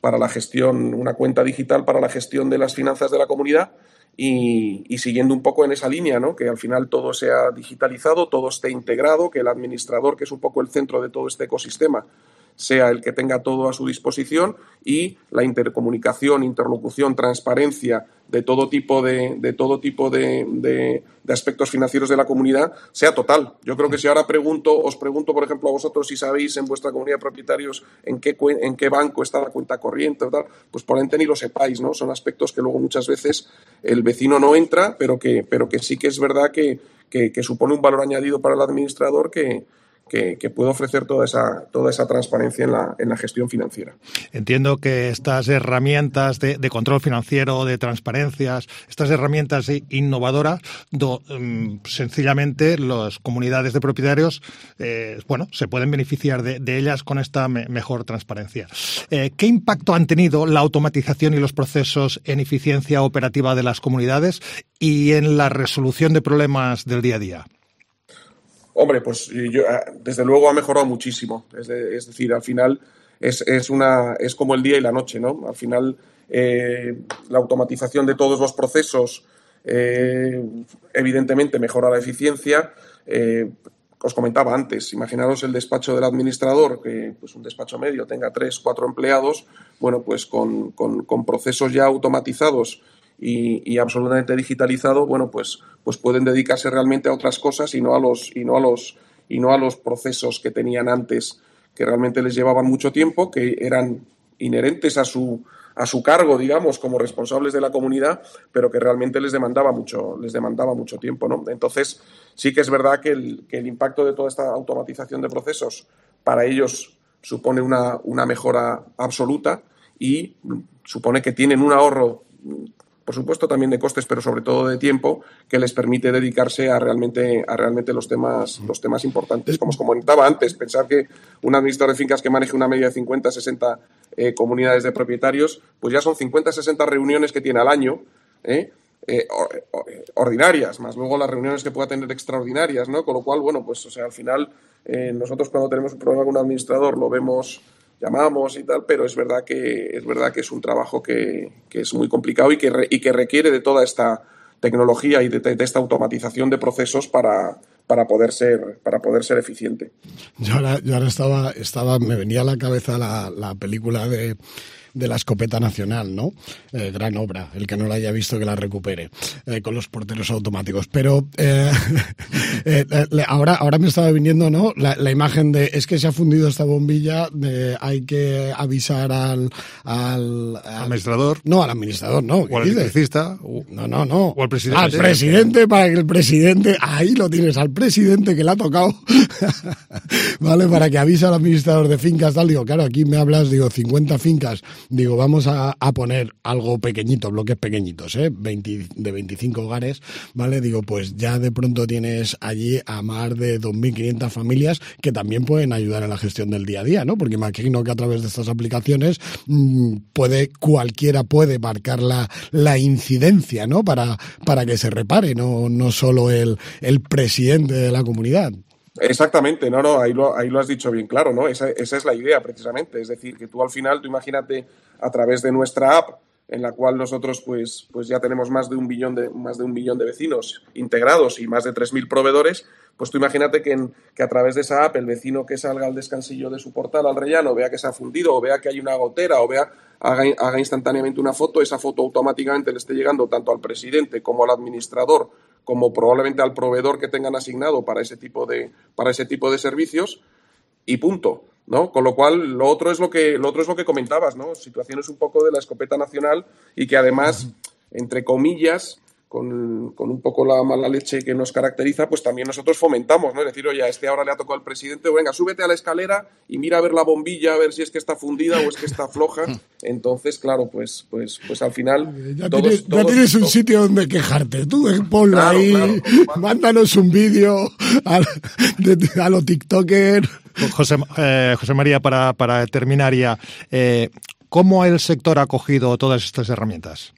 para la gestión, una cuenta digital para la gestión de las finanzas de la comunidad y, y siguiendo un poco en esa línea, ¿no? Que al final todo sea digitalizado, todo esté integrado, que el administrador, que es un poco el centro de todo este ecosistema, sea el que tenga todo a su disposición y la intercomunicación, interlocución, transparencia de todo tipo de, de todo tipo de, de, de aspectos financieros de la comunidad sea total. Yo creo que si ahora pregunto, os pregunto, por ejemplo, a vosotros si sabéis en vuestra comunidad de propietarios en qué, en qué banco está la cuenta corriente o tal, pues probablemente ni lo sepáis, ¿no? Son aspectos que luego muchas veces el vecino no entra, pero que, pero que sí que es verdad que, que, que supone un valor añadido para el administrador que Que, que puede ofrecer toda esa, toda esa transparencia en la, en la gestión financiera. Entiendo que estas herramientas de, de control financiero, de transparencias, estas herramientas innovadoras, do, um, sencillamente las comunidades de propietarios, eh, bueno, se pueden beneficiar de, de ellas con esta me, mejor transparencia. Eh, ¿Qué impacto han tenido la automatización y los procesos en eficiencia operativa de las comunidades y en la resolución de problemas del día a día? Hombre, pues yo, desde luego ha mejorado muchísimo. Es, de, es decir, al final es, es, una, es como el día y la noche, ¿no? Al final eh, la automatización de todos los procesos eh, evidentemente mejora la eficiencia. Eh, os comentaba antes, imaginaros el despacho del administrador, que pues un despacho medio tenga tres, cuatro empleados, bueno, pues con, con, con procesos ya automatizados Y, y absolutamente digitalizado, bueno, pues, pues pueden dedicarse realmente a otras cosas y no a los y no a los y no a los procesos que tenían antes, que realmente les llevaban mucho tiempo, que eran inherentes a su a su cargo, digamos, como responsables de la comunidad, pero que realmente les demandaba mucho les demandaba mucho tiempo, ¿no? Entonces, sí que es verdad que el, que el impacto de toda esta automatización de procesos para ellos supone una, una mejora absoluta y supone que tienen un ahorro, por supuesto también de costes, pero sobre todo de tiempo, que les permite dedicarse a realmente a realmente los temas los temas importantes. Como os comentaba antes, pensar que un administrador de fincas que maneje una media de cincuenta, sesenta eh, comunidades de propietarios, pues ya son cincuenta, sesenta reuniones que tiene al año, ¿eh? Eh, ordinarias, más luego las reuniones que pueda tener extraordinarias, ¿no? Con lo cual, bueno, pues o sea, al final eh, nosotros cuando tenemos un problema con un administrador lo vemos, llamamos y tal, pero es verdad que es verdad que es un trabajo que, que es muy complicado y que, re, y que requiere de toda esta tecnología y de, de esta automatización de procesos para, para poder ser para poder ser eficiente. Yo ahora, yo ahora estaba, estaba me venía a la cabeza la, la película de de la escopeta nacional, ¿no? Eh, gran obra, el que no la haya visto que la recupere, eh, con los porteros automáticos. Pero eh, eh, ahora, ahora me estaba viniendo, ¿no? La, la imagen de, es que se ha fundido esta bombilla, de, hay que avisar al, al, al... administrador. No, al administrador, no. O al electricista. O... No, no, no. O al presidente. Al presidente, para que el presidente, ahí lo tienes, al presidente que le ha tocado, ¿vale? Para que avise al administrador de fincas, tal. Digo, claro, aquí me hablas, digo, cincuenta fincas, digo, vamos a, a poner algo pequeñito, bloques pequeñitos, ¿eh? veinte, de veinticinco hogares, ¿vale? Digo, pues ya de pronto tienes allí a más de dos mil quinientas familias que también pueden ayudar en la gestión del día a día, ¿no? Porque imagino que a través de estas aplicaciones mmm, puede, cualquiera puede marcar la, la incidencia, ¿no? Para, para que se repare, no, no solo el, el presidente de la comunidad. Exactamente, no, no, ahí lo, ahí lo has dicho bien claro, ¿no? Esa, esa es la idea precisamente, es decir, que tú al final, tú imagínate a través de nuestra app, en la cual nosotros pues, pues ya tenemos más de un billón de, más de un millón de vecinos integrados y más de tres mil proveedores, pues tú imagínate que, en, que a través de esa app el vecino que salga al descansillo de su portal al rellano vea que se ha fundido o vea que hay una gotera o vea haga, haga instantáneamente una foto, esa foto automáticamente le esté llegando tanto al presidente como al administrador como probablemente al proveedor que tengan asignado para ese tipo de, para ese tipo de servicios y punto, ¿no? Con lo cual, lo otro es lo que, lo otro es lo que comentabas, ¿no? Situaciones un poco de la escopeta nacional y que además, entre comillas, con, con un poco la mala leche que nos caracteriza, pues también nosotros fomentamos, ¿no? Es decir, oye, a este ahora le ha tocado al presidente, venga, súbete a la escalera y mira a ver la bombilla, a ver si es que está fundida o es que está floja. Entonces, claro, pues, pues, pues al final... Ya todos, tienes, todos, ya tienes un todos, sitio donde quejarte. Tú eh, ponlo claro, ahí, claro, claro. Mándanos un vídeo a, a los TikTokers. José, eh, José María, para, para terminar ya, eh, ¿cómo el sector ha acogido todas estas herramientas?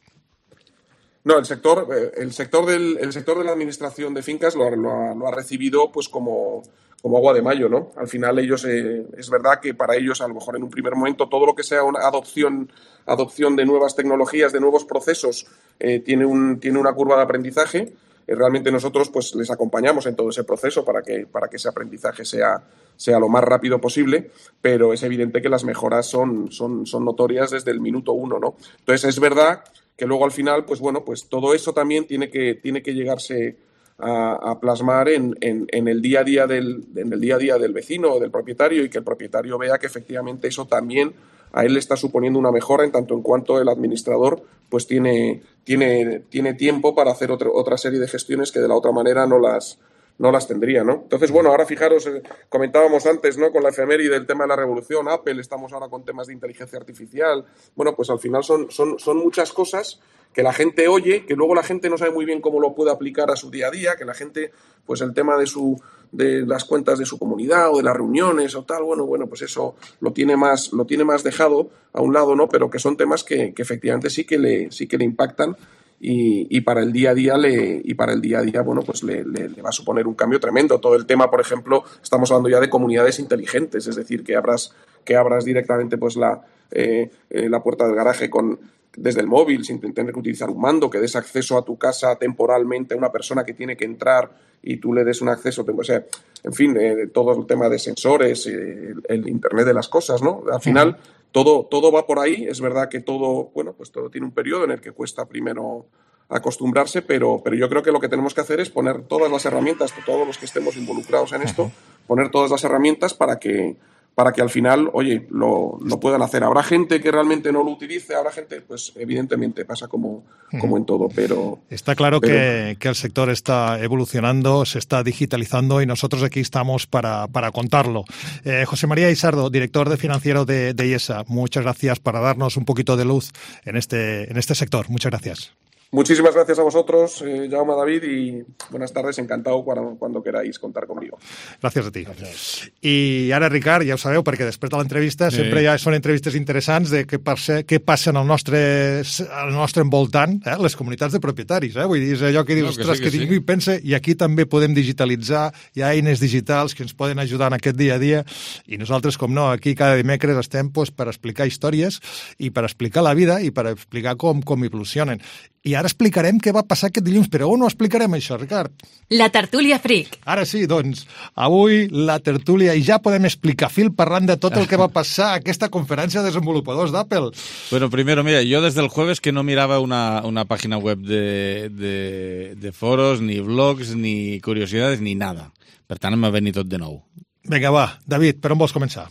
No, el sector, el sector del, el sector de la administración de fincas lo, lo, ha, lo ha recibido pues como, como agua de mayo, ¿no? Al final ellos, eh, es verdad que para ellos a lo mejor en un primer momento todo lo que sea una adopción, adopción de nuevas tecnologías, de nuevos procesos, eh, tiene, un, tiene una curva de aprendizaje. Eh, realmente nosotros pues les acompañamos en todo ese proceso para que, para que ese aprendizaje sea, sea lo más rápido posible, pero es evidente que las mejoras son, son, son notorias desde el minuto uno, ¿no? Entonces es verdad que luego al final, pues bueno, pues todo eso también tiene que, tiene que llegarse a, a plasmar en, en, en el día a día del, en el día a día del vecino o del propietario y que el propietario vea que efectivamente eso también a él le está suponiendo una mejora en tanto en cuanto el administrador pues tiene, tiene, tiene tiempo para hacer otra, otra serie de gestiones que de la otra manera no las, no las tendría, ¿no? Entonces, bueno, ahora fijaros, eh, comentábamos antes, ¿no? Con la efeméride del tema de la revolución, Apple, estamos ahora con temas de inteligencia artificial. Bueno, pues al final son, son, son muchas cosas que la gente oye, que luego la gente no sabe muy bien cómo lo puede aplicar a su día a día, que la gente, pues el tema de su de las cuentas de su comunidad o de las reuniones o tal, bueno, bueno, pues eso lo tiene más, lo tiene más dejado a un lado, ¿no? Pero que son temas que, que efectivamente sí que le, sí que le impactan. Y, y para el día a día le y para el día a día bueno pues le, le, le va a suponer un cambio tremendo. Todo el tema, por ejemplo, estamos hablando ya de comunidades inteligentes, es decir, que abras que abras directamente pues la eh, eh, la puerta del garaje con desde el móvil sin tener que utilizar un mando, que des acceso a tu casa temporalmente a una persona que tiene que entrar y tú le des un acceso, o sea, en fin, eh, todo el tema de sensores, eh, el, el Internet de las cosas, ¿no? Al final uh-huh. Todo, todo va por ahí. Es verdad que todo, bueno, pues todo tiene un periodo en el que cuesta primero acostumbrarse, pero, pero yo creo que lo que tenemos que hacer es poner todas las herramientas, todos los que estemos involucrados en esto, poner todas las herramientas para que, para que al final, oye, lo, lo puedan hacer. Habrá gente que realmente no lo utilice, habrá gente, pues evidentemente pasa como, como en todo, pero... Está claro pero... Que, que el sector está evolucionando, se está digitalizando y nosotros aquí estamos para, para contarlo. Eh, José María Isardo, director de financiero de, de IESA, muchas gracias para darnos un poquito de luz en este, en este sector. Muchas gracias. Muchísimas gracias a vosotros, eh, Jaume, David, y buenas tardes, encantado cuando, cuando queráis contar conmigo. Gràcies a ti. Gràcies. I ara, Ricard, ja ho sabeu, perquè després de l'entrevista sí. sempre ja són entrevistes interessants de què passa, què passa en el nostre, al nostre envoltant, eh? Les comunitats de propietaris. Eh? Vull dir, és allò que dius, no, ostres, que, sí, que, que ningú hi pensa, i aquí també podem digitalitzar, hi ha eines digitals que ens poden ajudar en aquest dia a dia, i nosaltres, com no, aquí cada dimecres estem pues, per explicar històries i per explicar la vida i per explicar com, com evolucionen. I ara explicarem què va passar aquest dilluns, però on ho explicarem això, Ricard? La tertúlia Freak. Ara sí, doncs, avui la tertúlia, i ja podem explicar fil parlant de tot el que va passar a aquesta conferència de desenvolupadors d'Apple. Bueno, primero, mira, yo desde el jueves que no miraba una, una página web de, de, de foros, ni blogs, ni curiosidades, ni nada. Per tant, m'ha venit tot de nou. Venga, va, David, ¿pero vos comenzar?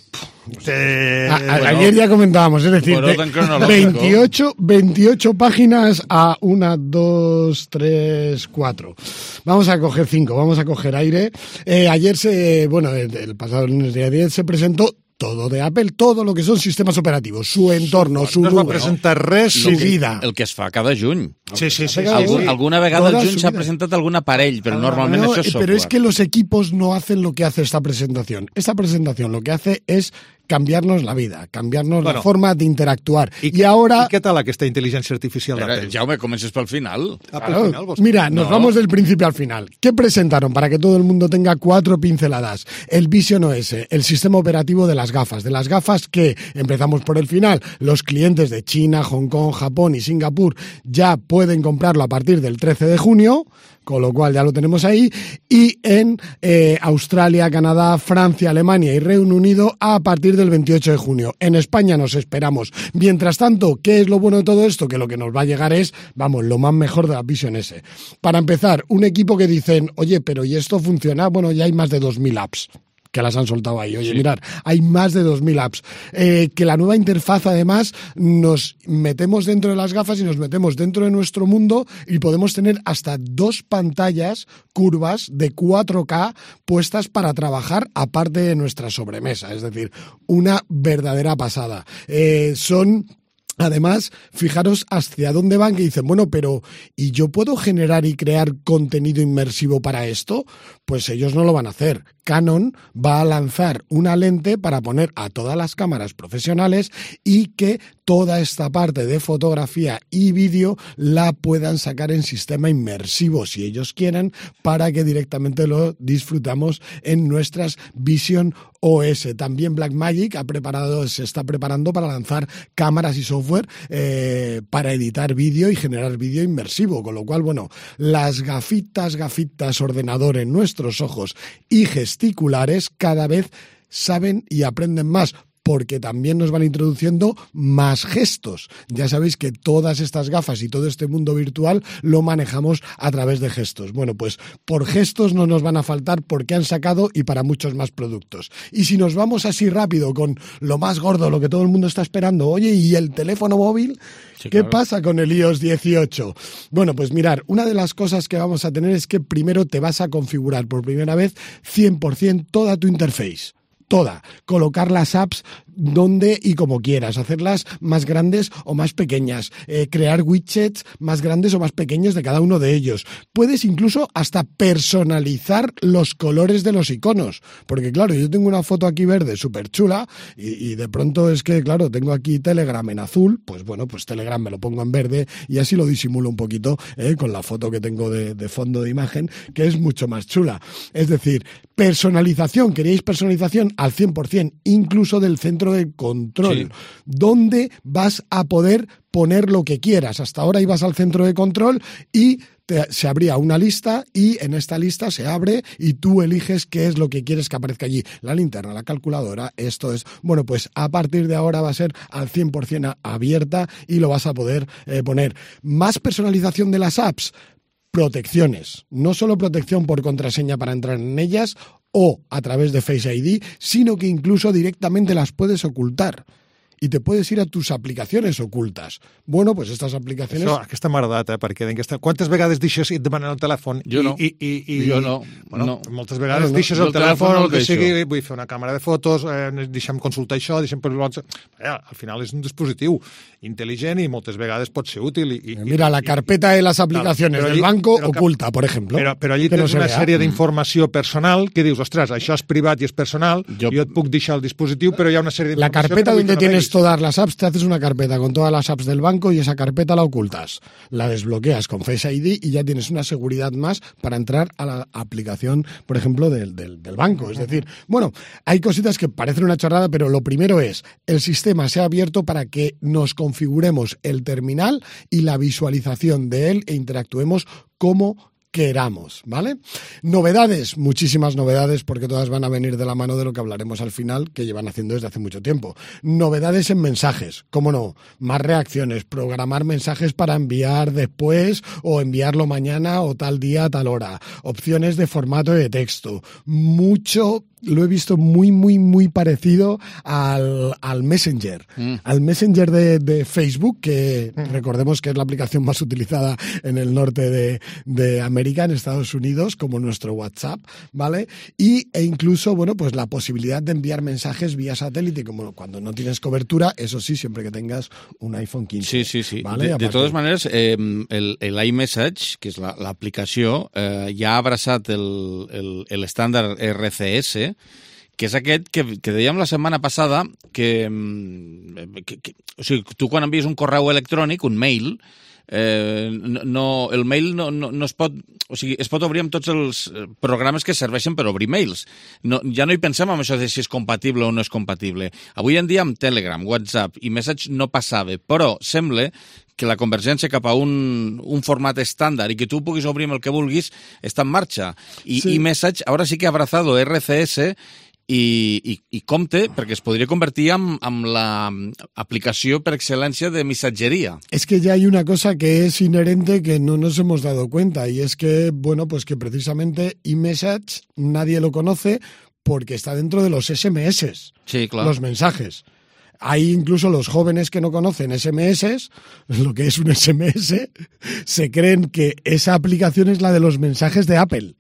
Eh, a, a, bueno, ayer ya comentábamos, es decir, de veintiocho, veintiocho páginas a una, dos, tres, cuatro. Vamos a coger cinco, vamos a coger aire. Eh, ayer se, bueno, el, el pasado lunes de ayer se presentó todo de Apple, todo lo que son sistemas operativos, su entorno, su no número, va presentar res, su vida. El que es fa cada juny. Sí, sí, sí. Algun, sí. Alguna vegada al juny s'ha presentat algun aparell, però ah, normalment no, això és software. Pero es que los equipos no hacen lo que hace esta presentación. Esta presentación lo que hace es cambiarnos la vida, cambiarnos bueno, la forma de interactuar. I, y ahora... ¿Y qué tal aquesta inteligencia artificial Pero, d'Apple? Jaume, comences pel final. Ah, claro, pel final vos... Mira, nos no. vamos del principio al final. ¿Qué presentaron? Para que todo el mundo tenga cuatro pinceladas. El Vision O S, el sistema operativo de las gafas. De las gafas que, empezamos por el final, los clientes de China, Hong Kong, Japón y Singapur ya pueden comprarlo a partir del trece de junio, con lo cual ya lo tenemos ahí, y en eh, Australia, Canadá, Francia, Alemania y Reino Unido a partir del veintiocho de junio. En España nos esperamos. Mientras tanto, ¿qué es lo bueno de todo esto? Que lo que nos va a llegar es, vamos, lo más mejor de la Vision S. Para empezar, un equipo que dicen, oye, pero ¿y esto funciona? Bueno, ya hay más de dos mil apps que las han soltado ahí. Oye, sí. Mirad, hay más de dos mil apps. Eh, que la nueva interfaz, además, nos metemos dentro de las gafas y nos metemos dentro de nuestro mundo y podemos tener hasta dos pantallas curvas de cuatro K puestas para trabajar aparte de nuestra sobremesa. Es decir, una verdadera pasada. Eh, son... Además, fijaros hacia dónde van, que dicen, bueno, pero ¿y yo puedo generar y crear contenido inmersivo para esto? Pues ellos no lo van a hacer. Canon va a lanzar una lente para poner a todas las cámaras profesionales y que toda esta parte de fotografía y vídeo la puedan sacar en sistema inmersivo, si ellos quieren, para que directamente lo disfrutamos en nuestras Vision O S. También Blackmagic ha preparado, se está preparando para lanzar cámaras y software eh, para editar vídeo y generar vídeo inmersivo, con lo cual, bueno, las gafitas, gafitas, ordenador en nuestros ojos y gesticulares cada vez saben y aprenden más, porque también nos van introduciendo más gestos. Ya sabéis que todas estas gafas y todo este mundo virtual lo manejamos a través de gestos. Bueno, pues por gestos no nos van a faltar porque han sacado y para muchos más productos. Y si nos vamos así rápido con lo más gordo, lo que todo el mundo está esperando, oye, ¿y el teléfono móvil? Sí, ¿qué claro. pasa con el iOS dieciocho? Bueno, pues mirar, una de las cosas que vamos a tener es que primero te vas a configurar por primera vez cien por ciento toda tu interface. Toda, colocar las apps donde y como quieras, hacerlas más grandes o más pequeñas, eh, crear widgets más grandes o más pequeños de cada uno de ellos. Puedes incluso hasta personalizar los colores de los iconos, porque claro, yo tengo una foto aquí verde súper chula y, y de pronto es que, claro, tengo aquí Telegram en azul, pues bueno, pues Telegram me lo pongo en verde y así lo disimulo un poquito eh, con la foto que tengo de, de fondo de imagen, que es mucho más chula. Es decir, personalización, ¿queréis personalización? Al cien por ciento, incluso del centro de control, sí. Donde vas a poder poner lo que quieras. Hasta ahora ibas al centro de control y te, se abría una lista y en esta lista se abre y tú eliges qué es lo que quieres que aparezca allí. La linterna, la calculadora, esto es... Bueno, pues a partir de ahora va a ser al cien por ciento abierta y lo vas a poder eh, poner. Más personalización de las apps. Protecciones, no solo protección por contraseña para entrar en ellas o a través de Face I D, sino que incluso directamente las puedes ocultar. I te puedes ir a tus aplicacions ocultes. Bueno, pues estas aplicacions... Això, aquesta m'ha agradat, eh? Perquè aquesta... quantes vegades deixes i et demanen el telèfon? Jo no. I, i, i, jo no. Bueno, no. Moltes vegades no, deixes el, el telèfon, telèfon no el que deixo. sigui, vull fer una càmera de fotos, eh, deixa'm consultar això, deixa'm... Eh, al final és un dispositiu intel·ligent i moltes vegades pot ser útil. I, i, Mira, la carpeta de las aplicaciones claro, del allí, banco però, oculta, por ejemplo. Però, però allí tens no una sèrie d'informació personal que dius, ostres, això és privat i és personal, jo, jo et puc deixar el dispositiu, però hi ha una sèrie d'informació... La carpeta donde tienes todas las apps, te haces una carpeta con todas las apps del banco y esa carpeta la ocultas. La desbloqueas con Face I D y ya tienes una seguridad más para entrar a la aplicación, por ejemplo, del, del, del banco. Es decir, bueno, hay cositas que parecen una chorrada, pero lo primero es, el sistema se ha abierto para que nos configuremos el terminal y la visualización de él e interactuemos como queramos, ¿vale? Novedades, muchísimas novedades, porque todas van a venir de la mano de lo que hablaremos al final, que llevan haciendo desde hace mucho tiempo. Novedades en mensajes, ¿cómo no? Más reacciones, programar mensajes para enviar después o enviarlo mañana o tal día a tal hora. Opciones de formato de texto. Mucho... Lo he visto muy, muy, muy parecido al, al Messenger. Mm. Al Messenger de, de Facebook, que mm. recordemos que es la aplicación más utilizada en el norte de, de América, en Estados Unidos, como nuestro WhatsApp, ¿vale? Y, e incluso, bueno, pues la posibilidad de enviar mensajes vía satélite, como cuando no tienes cobertura, eso sí, siempre que tengas un iPhone quince. Sí, sí, sí. ¿vale? De, de totes maneres, eh, el, el iMessage, que és l'aplicació, la, eh, ja ha abraçat l'estàndard R C S, que és aquest que, que dèiem la setmana passada, que, que, que o sigui, tu quan envies un correu electrònic, un mail, eh, no, el mail no, no, no es pot... O sigui, es pot obrir amb tots els programes que serveixen per obrir mails. No, ja no hi pensem en això de si és compatible o no és compatible. Avui en dia amb Telegram, WhatsApp i Message no passava, però sembla que la convergència cap a un, un format estàndard i que tu puguis obrir amb el que vulguis està en marxa. I, sí. i Message ara sí que ha abrazado R C S i, i, i compte, perquè es podria convertir en, en l'aplicació per excel·lència de missatgeria. Es que ya hay una cosa que es inherente que no nos hemos dado cuenta, y es que, bueno, pues que precisamente iMessage nadie lo conoce porque está dentro de los S M S, sí, claro. Los mensajes. Hay incluso los jóvenes que no conocen S M S, lo que es un S M S, se creen que esa aplicación es la de los mensajes de Apple,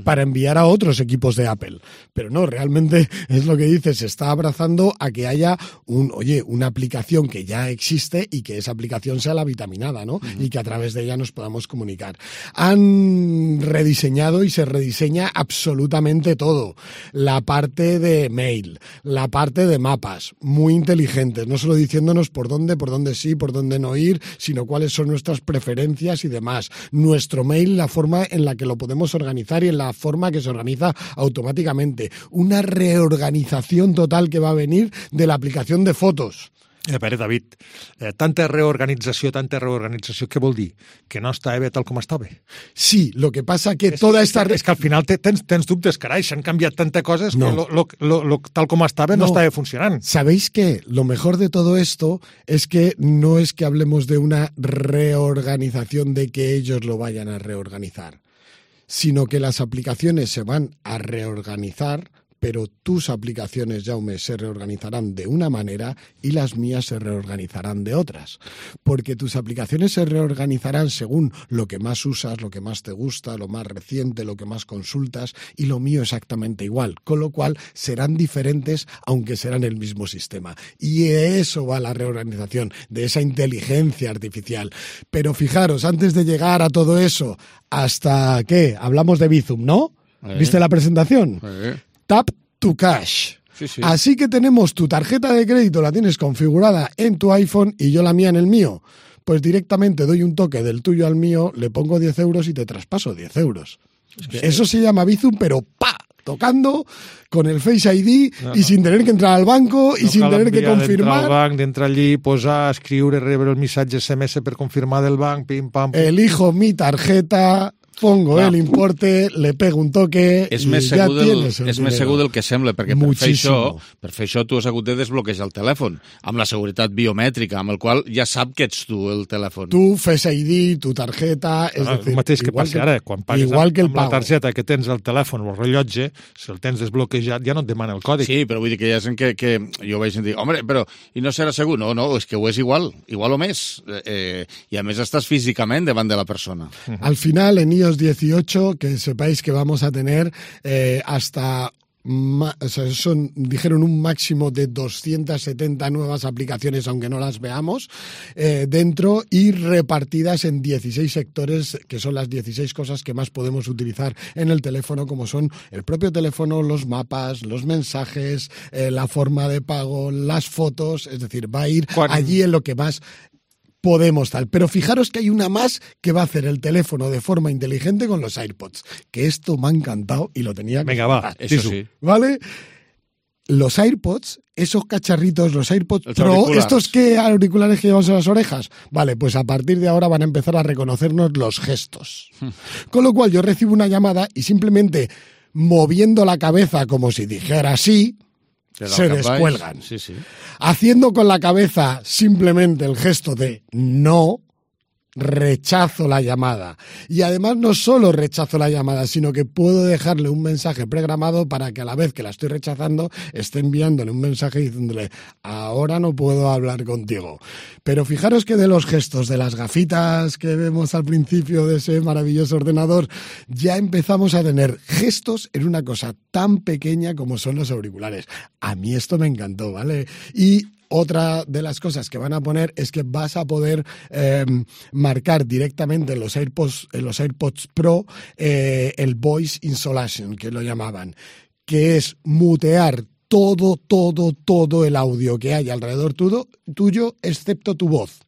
para enviar a otros equipos de Apple. Pero no, realmente es lo que dices, se está abrazando a que haya un, oye, una aplicación que ya existe y que esa aplicación sea la vitaminada, ¿no? Uh-huh. Y que a través de ella nos podamos comunicar. Han rediseñado y se rediseña absolutamente todo. La parte de mail, la parte de mapas, muy inteligentes, no solo diciéndonos por dónde, por dónde sí, por dónde no ir, sino cuáles son nuestras preferencias y demás. Nuestro mail, la forma en la que lo podemos organizar y en la forma que se organiza automáticamente. Una reorganización total que va a venir de la aplicación de fotos. A veure, David, eh, tanta reorganització, tanta reorganització, què vol dir? Que no està bé tal com estava? Sí, lo que pasa que és, toda esta... És que al final tens, tens dubtes, carai, s'han canviat tantes coses no. que lo, lo, lo, lo, tal com estava no, no estava funcionant. ¿Sabéis qué? Lo mejor de todo esto es que no es que hablemos de una reorganización de que ellos lo vayan a reorganizar, sino que las aplicaciones se van a reorganizar, pero tus aplicaciones, Jaume, se reorganizarán de una manera y las mías se reorganizarán de otras. Porque tus aplicaciones se reorganizarán según lo que más usas, lo que más te gusta, lo más reciente, lo que más consultas, y lo mío exactamente igual. Con lo cual serán diferentes, aunque serán el mismo sistema. Y eso va la reorganización, de esa inteligencia artificial. Pero fijaros, antes de llegar a todo eso, ¿hasta qué? Hablamos de Bizum, ¿no? Eh. ¿Viste la presentación? Eh. Tap to Cash. Sí, sí. Así que tenemos tu tarjeta de crédito, la tienes configurada en tu iPhone y yo la mía en el mío. Pues directamente doy un toque del tuyo al mío, le pongo diez euros y te traspaso diez euros. Sí. Eso se llama Bizum, pero ¡pa! Tocando con el Face I D no, y sin tener que entrar al banco y no sin tener que confirmar. D'entrar al banc, d'entrar allí, posar, escriure, rebre el missatge S M S per confirmar del banc, pim, pam, pum. Elijo mi tarjeta, pongo Clar. el importe, le pego un toque és i més ja del, tienes el És dinero. més segur del que sembla, perquè per fer, això, Muchísimo. per fer això tu has hagut de desbloquejar el telèfon, amb la seguretat biomètrica, amb el qual ja sap que ets tu el telèfon. Tu, Face I D, tu tarjeta... És ah, decir, el mateix que igual passa ara, quan pagues igual que el amb la pago. targeta que tens al telèfon o el rellotge, si el tens desbloquejat ja no et demana el còdic. Sí, però vull dir que hi ha gent que, que jo vaig sentir, home, però i no serà segur? No, no, és que ho és igual, igual o més. Eh, I a més estàs físicament davant de la persona. Al final, en iOS dieciocho, que sepáis que vamos a tener eh, hasta Ma, o sea, son, dijeron un máximo de doscientas setenta nuevas aplicaciones, aunque no las veamos, eh, dentro y repartidas en dieciséis sectores, que son las dieciséis cosas que más podemos utilizar en el teléfono, como son el propio teléfono, los mapas, los mensajes, eh, la forma de pago, las fotos, es decir, va a ir ¿Cuál? allí en lo que más podemos tal. Pero fijaros que hay una más que va a hacer el teléfono de forma inteligente con los AirPods, que esto me ha encantado y lo tenía que Venga, va, eso sí. ¿Vale? Los AirPods, esos cacharritos, los AirPods los Pro, auriculares. estos que auriculares que llevamos en las orejas, vale, pues a partir de ahora van a empezar a reconocernos los gestos. Con lo cual yo recibo una llamada y simplemente moviendo la cabeza como si dijera sí, se descuelgan. Sí, sí. Haciendo con la cabeza simplemente el gesto de no, rechazo la llamada. Y además no solo rechazo la llamada, sino que puedo dejarle un mensaje programado para que a la vez que la estoy rechazando esté enviándole un mensaje diciéndole ahora no puedo hablar contigo. Pero fijaros que de los gestos, de las gafitas que vemos al principio de ese maravilloso ordenador, ya empezamos a tener gestos en una cosa tan pequeña como son los auriculares. A mí esto me encantó, ¿vale? Y otra de las cosas que van a poner es que vas a poder eh, marcar directamente en los AirPods, en los AirPods Pro eh, el Voice Isolation, que lo llamaban, que es mutear todo, todo, todo el audio que hay alrededor tuyo, tuyo excepto tu voz.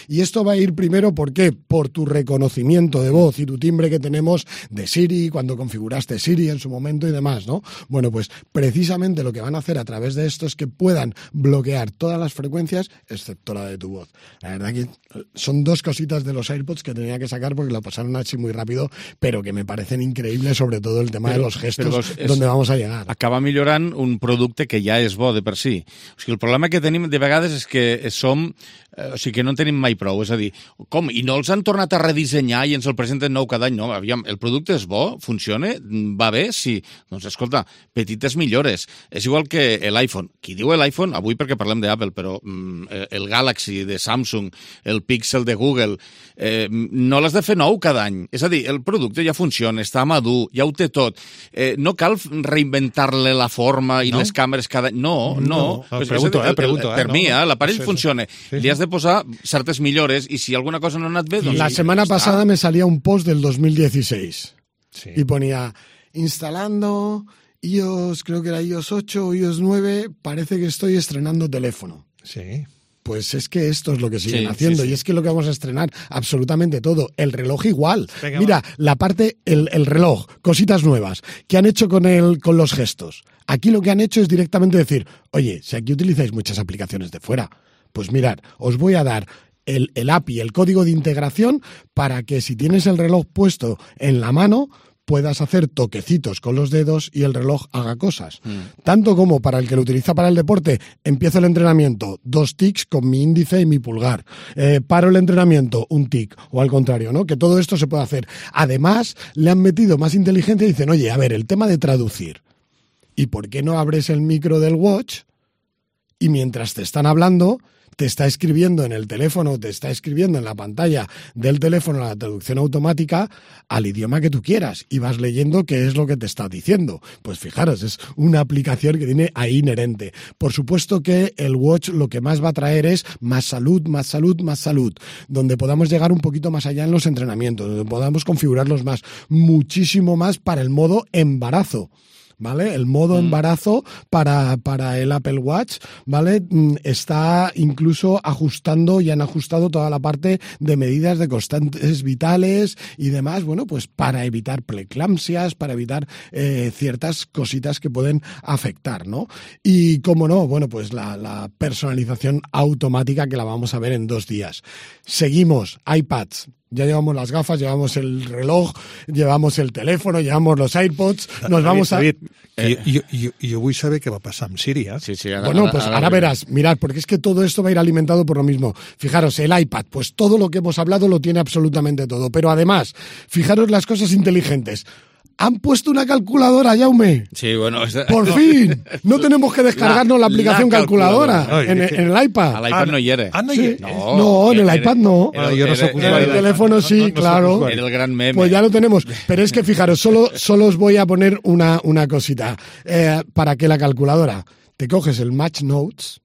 Y esto va a ir primero, ¿por qué? Por tu reconocimiento de voz y tu timbre que tenemos de Siri, cuando configuraste Siri en su momento y demás, ¿no? Bueno, pues precisamente lo que van a hacer a través de esto es que puedan bloquear todas las frecuencias, excepto la de tu voz. La verdad que son dos cositas de los AirPods que tenía que sacar porque lo pasaron así muy rápido, pero que me parecen increïbles, sobre todo el tema però, de los gestos, los, és, donde vamos a llegar. Acaba millorant un producte que ja és bo de per si. O sigui, el problema que tenim de vegades és que som... Eh, o sigui, que no en tenim mai prou. És a dir, com? I no els han tornat a redissenyar i ens el presenten nou cada any? No, aviam, el producte és bo? Funciona? Va bé? Sí. Doncs escolta, petites millores. És igual que l'iPhone. Qui diu l'iPhone, avui perquè parlem d'Apple, però mm, el Galaxy de Samsung, el Pixel de Google, eh, no l'has de fer nou cada any. És a dir, el producte ja funciona, està madur, ja ho té tot. Eh, no cal reinventar-le la forma i no? les càmeres cada any. No, no. no. Pues pregunto, eh, pregunto. Eh, per no, mi, no, eh, l'aparell sí, funciona. Sí, li has de posar certes millores y si alguna cosa no ha anat bé... Doncs la sí, semana está. pasada me salía un post del dos mil dieciséis sí. y ponía instalando iOS, creo que era iOS ocho o iOS nueve, parece que estoy estrenando teléfono. Sí. Pues es que esto es lo que siguen sí, haciendo sí, sí. y es que lo que vamos a estrenar absolutamente todo. El reloj igual. Venga, Mira, va. la parte, el, el reloj, cositas nuevas. ¿Qué han hecho con, el, con los gestos? Aquí lo que han hecho es directamente decir, oye, si aquí utilizáis muchas aplicaciones de fuera, pues mirad, os voy a dar el, el A P I, el código de integración, para que si tienes el reloj puesto en la mano, puedas hacer toquecitos con los dedos y el reloj haga cosas. Mm. Tanto como para el que lo utiliza para el deporte, empiezo el entrenamiento, dos tics con mi índice y mi pulgar. Eh, paro el entrenamiento, un tic, o al contrario, ¿no? Que todo esto se puede hacer. Además, le han metido más inteligencia y dicen, oye, a ver, el tema de traducir. ¿Y por qué no abres el micro del watch y mientras te están hablando te está escribiendo en el teléfono, te está escribiendo en la pantalla del teléfono la traducción automática al idioma que tú quieras y vas leyendo qué es lo que te está diciendo? Pues fijaros, es una aplicación que tiene ahí inherente. Por supuesto que el Watch lo que más va a traer es más salud, más salud, más salud, donde podamos llegar un poquito más allá en los entrenamientos, donde podamos configurarlos más, muchísimo más para el modo embarazo. ¿Vale? El modo embarazo para, para el Apple Watch, ¿vale? Está incluso ajustando y han ajustado toda la parte de medidas de constantes vitales y demás, bueno, pues para evitar preeclampsias, para evitar eh, ciertas cositas que pueden afectar, ¿no? Y cómo no, bueno, pues la, la personalización automática que la vamos a ver en dos días. Seguimos, iPads. Ya llevamos las gafas, llevamos el reloj, llevamos el teléfono, llevamos los AirPods, nos David, vamos a... David, eh, jo, jo, jo vull saber què va passar amb Siri, eh? Sí, sí, ara, bueno, ara, pues ara, ahora verás, mirad, porque es que todo esto va a ir alimentado por lo mismo. Fijaros, el iPad, pues todo lo que hemos hablado lo tiene absolutamente todo. Pero además, fijaros las cosas inteligentes. Han puesto una calculadora, Jaume. Sí, bueno... Es... Por fin. No tenemos que descargarnos la, la aplicación la calculadora, calculadora. En, en el iPad. Al iPad no hi era. Ah, no, sí. no, no, en el era, iPad no. Era, yo no soy en el teléfono sí, no, no claro. Era el gran meme. Pues ya lo tenemos. Pero es que fijaros, solo, solo os voy a poner una, una cosita. Eh, para que la calculadora, te coges el Match Notes,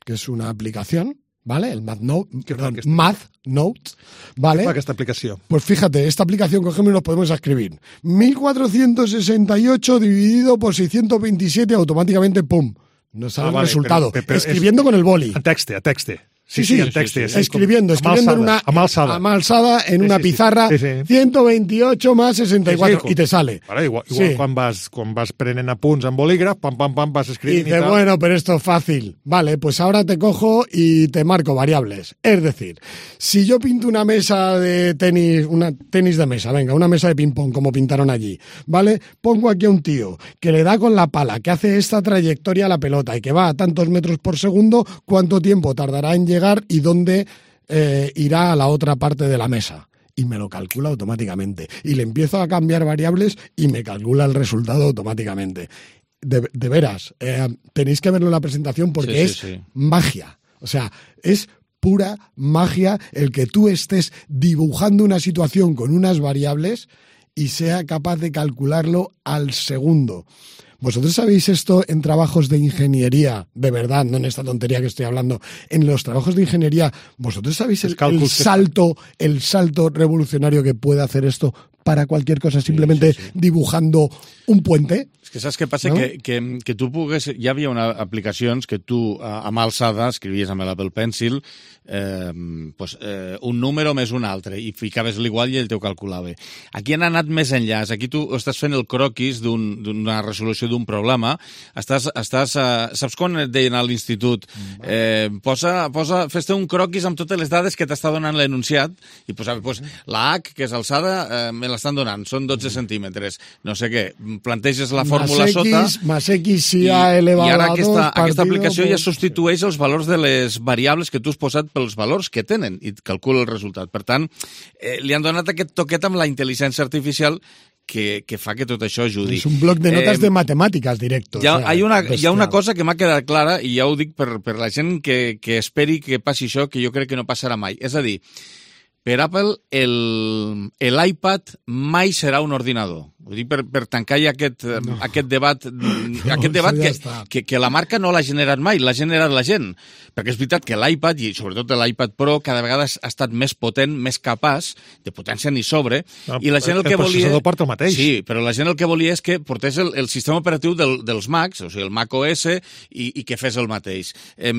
que es una aplicación, ¿vale? El Math Note, perdón, Math Notes, ¿vale? ¿Qué fa aquesta aplicació? Pues fíjate, esta aplicación cogemos y nos podemos escribir mil cuatrocientos sesenta y ocho dividido por seiscientos veintisiete, automáticamente, ¡pum! Nos sale ah, vale, el resultado. Pero, pero escribiendo es... con el boli. A texte, a texte. Sí, sí, sí, sí, texte, sí, sí, escribiendo, sí, escribiendo en una amalsada, amalsada en sí, una sí, pizarra, sí, sí. ciento veintiocho más sesenta y cuatro, sí, sí, y te sale. Vale, igual igual sí. quan, vas, quan vas prenent apunts amb bolígraf, pam, pam, pam, vas escribiendo. Y dice, y bueno, pero esto es fácil. Vale, pues ahora te cojo y te marco variables. Es decir, si yo pinto una mesa de tenis, una tenis de mesa, venga, una mesa de ping-pong, como pintaron allí, ¿vale? Pongo aquí a un tío que le da con la pala, que hace esta trayectoria a la pelota y que va a tantos metros por segundo, ¿cuánto tiempo tardará en llegar y dónde eh, irá a la otra parte de la mesa? Y me lo calcula automáticamente. Y le empiezo a cambiar variables y me calcula el resultado automáticamente. De, de veras, eh, tenéis que verlo en la presentación porque sí, es sí, sí. magia. O sea, es pura magia el que tú estés dibujando una situación con unas variables y sea capaz de calcularlo al segundo. ¿Vosotros sabéis esto en trabajos de ingeniería? De verdad, no en esta tontería que estoy hablando. En los trabajos de ingeniería, ¿vosotros sabéis el, el salto, el salto revolucionario que puede hacer esto para cualquier cosa, simplemente sí, sí, sí. dibujando un puente? És que saps què passa? No? Que, que, que tu pugues... Hi havia una aplicacions que tu, a mà alçada, escrivies amb l'Apple Pencil eh, pues, eh, un número més un altre i ficaves l'igual i ell t'ho calculava. Aquí han anat més enllà. Aquí tu estàs fent el croquis d'una un, resolució d'un problema. Estàs, estàs, eh, saps quan et deien a l'institut? Eh, posa, posa, fes-te un croquis amb totes les dades que t'està donant l'enunciat i posava pues, la H, que és alçada, eh, me l'estan donant, són dotze centímetres. No sé què, planteges la fórmula más sota... X, más X si A elevado i ara a aquesta, dos, aquesta aplicació por... ja substitueix els valors de les variables que tu has posat pels valors que tenen i calcula el resultat. Per tant, eh, li han donat aquest toquet amb la intel·ligència artificial que, que fa que tot això ajudi. És un bloc de notes eh, de matemàtiques directo. Hi ha, o sea, hi, una, hi ha una cosa que m'ha quedat clara i ja ho dic per, per la gent que, que esperi que passi això, que jo crec que no passarà mai. És a dir, per Apple, l'iPad mai serà un ordinador. Ho dic per, per tancar ja aquest, no. aquest debat, no, aquest debat ja que, que, que la marca no l'ha generat mai, l'ha generat la gent. Perquè és veritat que l'iPad, i sobretot l'iPad Pro, cada vegada ha estat més potent, més capaç, de potència ni sobre, no, i la gent el, el que volia... El processador porta el mateix. Sí, però la gent el que volia és que portés el, el sistema operatiu del, dels Macs, o sigui, el Mac O S, i, i que fes el mateix. Eh,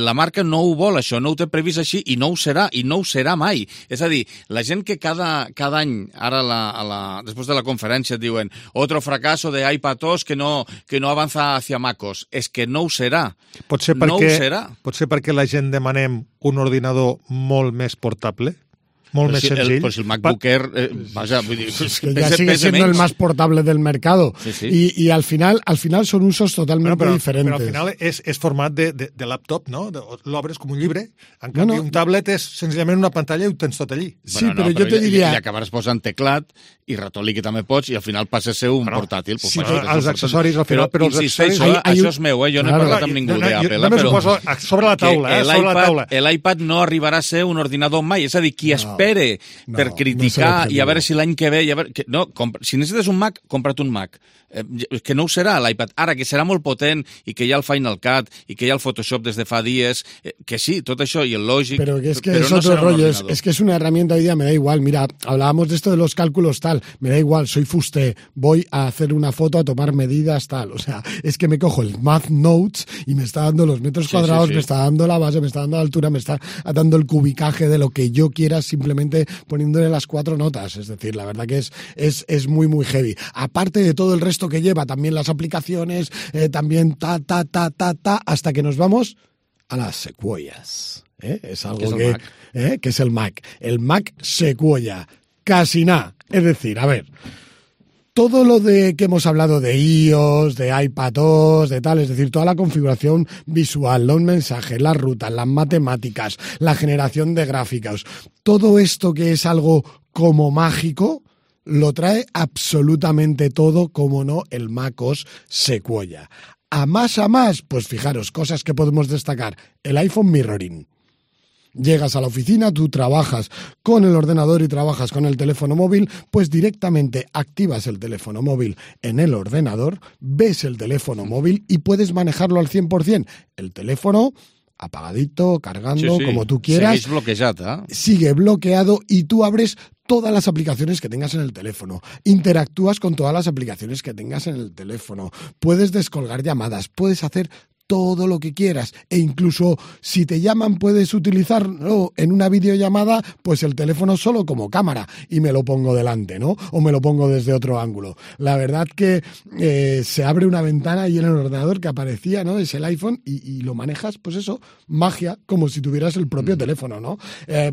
la marca no ho vol, això, no ho té previst així, i no ho serà, i no ho serà mai. És a dir, la gent que cada, cada any, ara la, a la, després de la conferència diuen otro fracaso de iPadOS que no, que no avanza hacia MacOS. És que no ho serà. Potser perquè, no ho serà. Potser perquè la gent demanem un ordinador molt més portable? Molt pues més si senzill. El, pues el MacBook Air, eh, vaja, vull dir, es que ya sigue siendo el más portable del mercado. Sí, sí. Y, y al final al final son usos totalmente bueno, però, diferentes. Però al final és, és format de, de, de laptop, no? L'obres com un llibre. En canvi, no, no. un tablet és senzillament una pantalla i ho tens tot allí. Sí, bueno, no, però, però jo te diria... I acabaràs posant teclat i ratolí que també pots i al final passa a ser un bueno, portàtil. Sí, però els accessoris al final... Però, però insisteix, això, hay, això és meu, eh? jo no he parlat amb ningú d'Apple. Només ho poso sobre la taula, eh? Sobre la taula. L'iPad no arribarà a ser un ordinador mai. És a dir, qui espere per criticar no i a veure si l'any que ve... I a veure, que, no, si necessites un Mac, compra't un Mac. Eh, que no ho serà l'iPad. Ara, que serà molt potent i que hi ha el Final Cut i que hi ha el Photoshop des de fa dies, eh, que sí, tot això i el Logic... Pero que es que pero es no otro rollo, es, es que es una herramienta hoy día, me da igual. Mira, hablábamos de esto de los cálculos tal, me da igual, soy fuste, voy a hacer una foto, a tomar medidas tal. O sea, es que me cojo el Math Notes y me está dando los metros sí, cuadrados, sí, sí. me está dando la base, me está dando la altura, me está dando el cubicaje de lo que yo quiera, simplemente poniéndole las cuatro notas. Es decir, la verdad que es, es, es muy, muy heavy. Aparte de todo el resto que lleva, también las aplicaciones, eh, también ta, ta, ta, ta, ta, hasta que nos vamos a las secuoyas. ¿eh? Es algo es que, eh, que es el Mac. El Mac Sequoia. Casi nada. Es decir, a ver, todo lo de que hemos hablado de iOS, de iPadOS, de tal, es decir, toda la configuración visual, los mensajes, las rutas, las matemáticas, la generación de gráficos, todo esto que es algo como mágico, lo trae absolutamente todo, como no, el MacOS Sequoia. A más a más, pues fijaros, cosas que podemos destacar. El iPhone Mirroring. Llegas a la oficina, tú trabajas con el ordenador y trabajas con el teléfono móvil, pues directamente activas el teléfono móvil en el ordenador, ves el teléfono móvil y puedes manejarlo al cien por ciento. El teléfono apagadito, cargando, sí, sí. como tú quieras. Segueix bloquejat, eh? Sigue bloqueado y tú abres todas las aplicaciones que tengas en el teléfono. Interactúas con todas las aplicaciones que tengas en el teléfono. Puedes descolgar llamadas, puedes hacer todo lo que quieras, e incluso si te llaman puedes utilizarlo en una videollamada, pues el teléfono solo como cámara y me lo pongo delante, ¿no? O me lo pongo desde otro ángulo. La verdad que eh, se abre una ventana ahí en el ordenador que aparecía, ¿no? Es el iPhone y, y lo manejas, pues eso, magia, como si tuvieras el propio mm. teléfono, ¿no? Eh,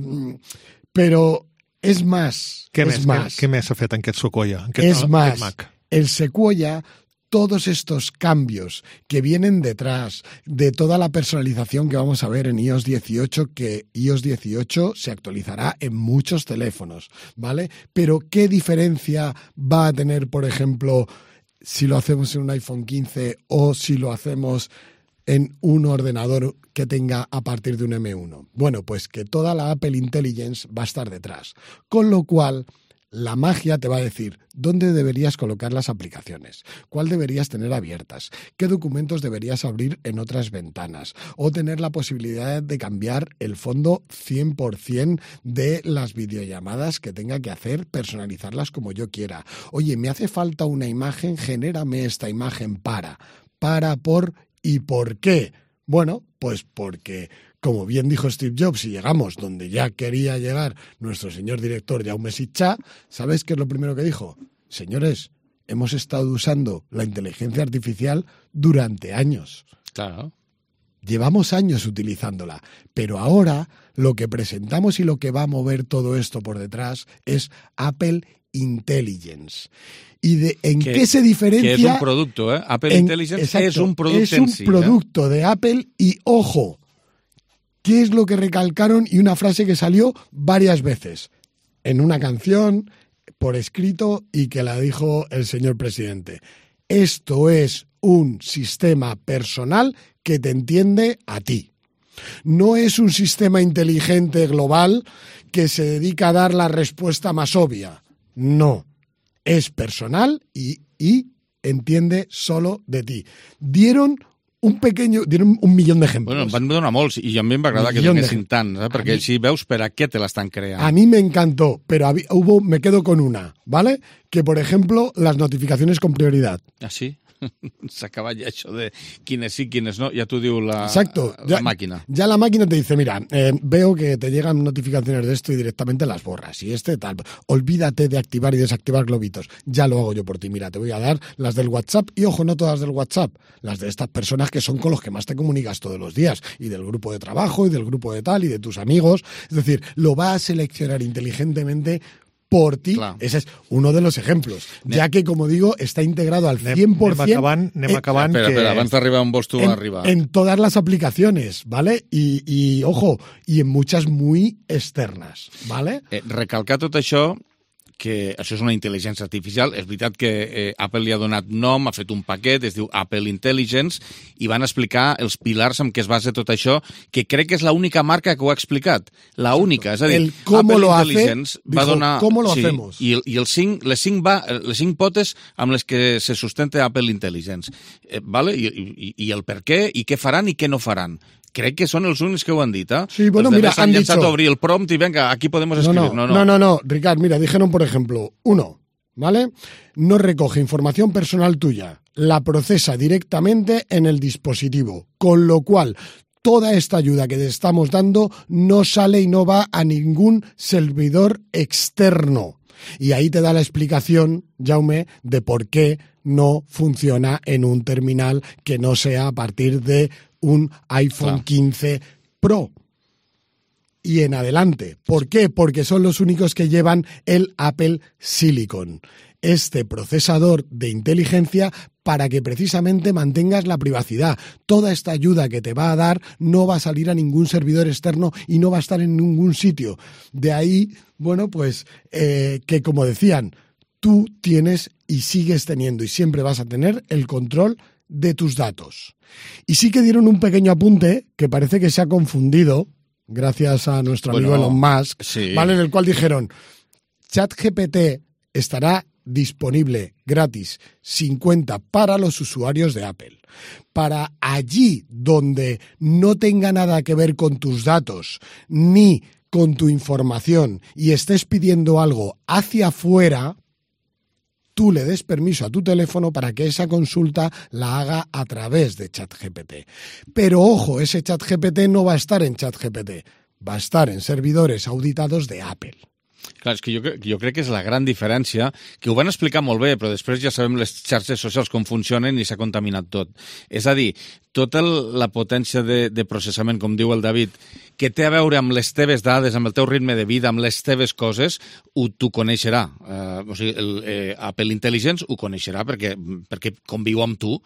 pero és más, Què és més, más. Què, què més s'ha fet en aquest Sequoia? En Es aquest, más, Mac? el Sequoia, todos estos cambios que vienen detrás de toda la personalización que vamos a ver en iOS dieciocho, que iOS dieciocho se actualizará en muchos teléfonos, ¿vale? Pero ¿qué diferencia va a tener, por ejemplo, si lo hacemos en un iPhone quince o si lo hacemos en un ordenador que tenga a partir de un eme uno? Bueno, pues que toda la Apple Intelligence va a estar detrás, con lo cual la magia te va a decir dónde deberías colocar las aplicaciones, cuál deberías tener abiertas, qué documentos deberías abrir en otras ventanas, o tener la posibilidad de cambiar el fondo cien por ciento de las videollamadas que tenga que hacer, personalizarlas como yo quiera. Oye, me hace falta una imagen, genérame esta imagen para, para, por y por qué. Bueno, pues porque, como bien dijo Steve Jobs, si llegamos donde ya quería llegar nuestro señor director Jaume Sitchà, ¿sabes qué es lo primero que dijo? Señores, hemos estado usando la inteligencia artificial durante años. Claro. Llevamos años utilizándola, pero ahora lo que presentamos y lo que va a mover todo esto por detrás es Apple Intelligence. ¿Y de, en que, qué se diferencia? Que es un producto, ¿eh? Apple en, Intelligence exacto, es un producto Es un en sí, producto ¿eh? de Apple y, ojo, ¿qué es lo que recalcaron? Y una frase que salió varias veces en una canción, por escrito, y que la dijo el señor presidente. Esto es un sistema personal que te entiende a ti. No es un sistema inteligente global que se dedica a dar la respuesta más obvia. No. Es personal y, y entiende solo de ti. Dieron un pequeño, dieron un millón d'ejemples. Bueno, van donar molts, i a mi em va agradar que donessin tant, eh? Perquè així veus per a què te l'estan creant. A mí me encantó, pero había, hubo, me quedo con una, ¿vale? Que, por ejemplo, las notificaciones con prioridad. ¿Ah, sí? S'acaba ja això de quienes sí, quienes no, ya tú diu la, Exacto. la ya, máquina. Ya la máquina te dice, mira, eh, veo que te llegan notificaciones de esto y directamente las borras. Y este tal, olvídate de activar y desactivar globitos. Ya lo hago yo por ti. Mira, te voy a dar las del WhatsApp y, ojo, no todas del WhatsApp, las de estas personas que son con los que más te comunicas todos los días, y del grupo de trabajo y del grupo de tal y de tus amigos. Es decir, lo va a seleccionar inteligentemente por ti. Clar. Ese es uno de los ejemplos, anem. Ja que, como digo, está integrado al cien por ciento. Anem acabant, anem acabant espera, que... espera, abans d'arribar on vols tu en, arribar. En todas las aplicaciones, ¿vale? Y, y, ojo, y en muchas muy externas, ¿vale? Eh, recalcar tot això, que això és una intel·ligència artificial. És veritat que eh, Apple li ha donat nom, ha fet un paquet, es diu Apple Intelligence, i van explicar els pilars en què es basa tot això, que crec que és l'única marca que ho ha explicat. La única, és a dir, el cómo Apple lo Intelligence hace, va dijo, donar... ¿cómo lo sí, hacemos? I, i el cinc, les, cinc va, les cinc potes amb les que se sustenta Apple Intelligence. Eh, vale? I, i, I el per què, i què faran i què no faran. Crec que son los únicos que ho han dit, ¿eh? Sí, bueno, mira, han dicho... a abrir el prompt y venga, aquí podemos escribir. No, no, no, no, no, no, Ricard, mira, dijeron, por ejemplo, uno, ¿vale? No recoge información personal tuya, la procesa directamente en el dispositivo, con lo cual toda esta ayuda que te estamos dando no sale y no va a ningún servidor externo. Y ahí te da la explicación, Jaume, de por qué no funciona en un terminal que no sea a partir de un iPhone claro. quince Pro y en adelante. ¿Por qué? Porque son los únicos que llevan el Apple Silicon, este procesador de inteligencia para que precisamente mantengas la privacidad. Toda esta ayuda que te va a dar no va a salir a ningún servidor externo y no va a estar en ningún sitio. De ahí, bueno, pues eh, que como decían, tú tienes y sigues teniendo y siempre vas a tener el control de tus datos. Y sí que dieron un pequeño apunte que parece que se ha confundido, gracias a nuestro amigo bueno, Elon Musk, sí. ¿vale? En el cual dijeron, ChatGPT estará disponible gratis, sin cuenta, para los usuarios de Apple. Para allí donde no tenga nada que ver con tus datos, ni con tu información, y estés pidiendo algo hacia afuera, tú le des permiso a tu teléfono para que esa consulta la haga a través de ChatGPT. Pero ojo, ese ChatGPT no va a estar en ChatGPT, va a estar en servidores auditados de Apple. Clar, és que jo, jo crec que és la gran diferència, que ho van explicar molt bé, però després ja sabem les xarxes socials com funcionen i s'ha contaminat tot. És a dir, tota la potència de, de processament, com diu el David, que té a veure amb les teves dades, amb el teu ritme de vida, amb les teves coses, ho t'ho coneixerà. Uh, o sigui, el, eh, Apple Intelligence ho coneixerà perquè, perquè conviu amb tu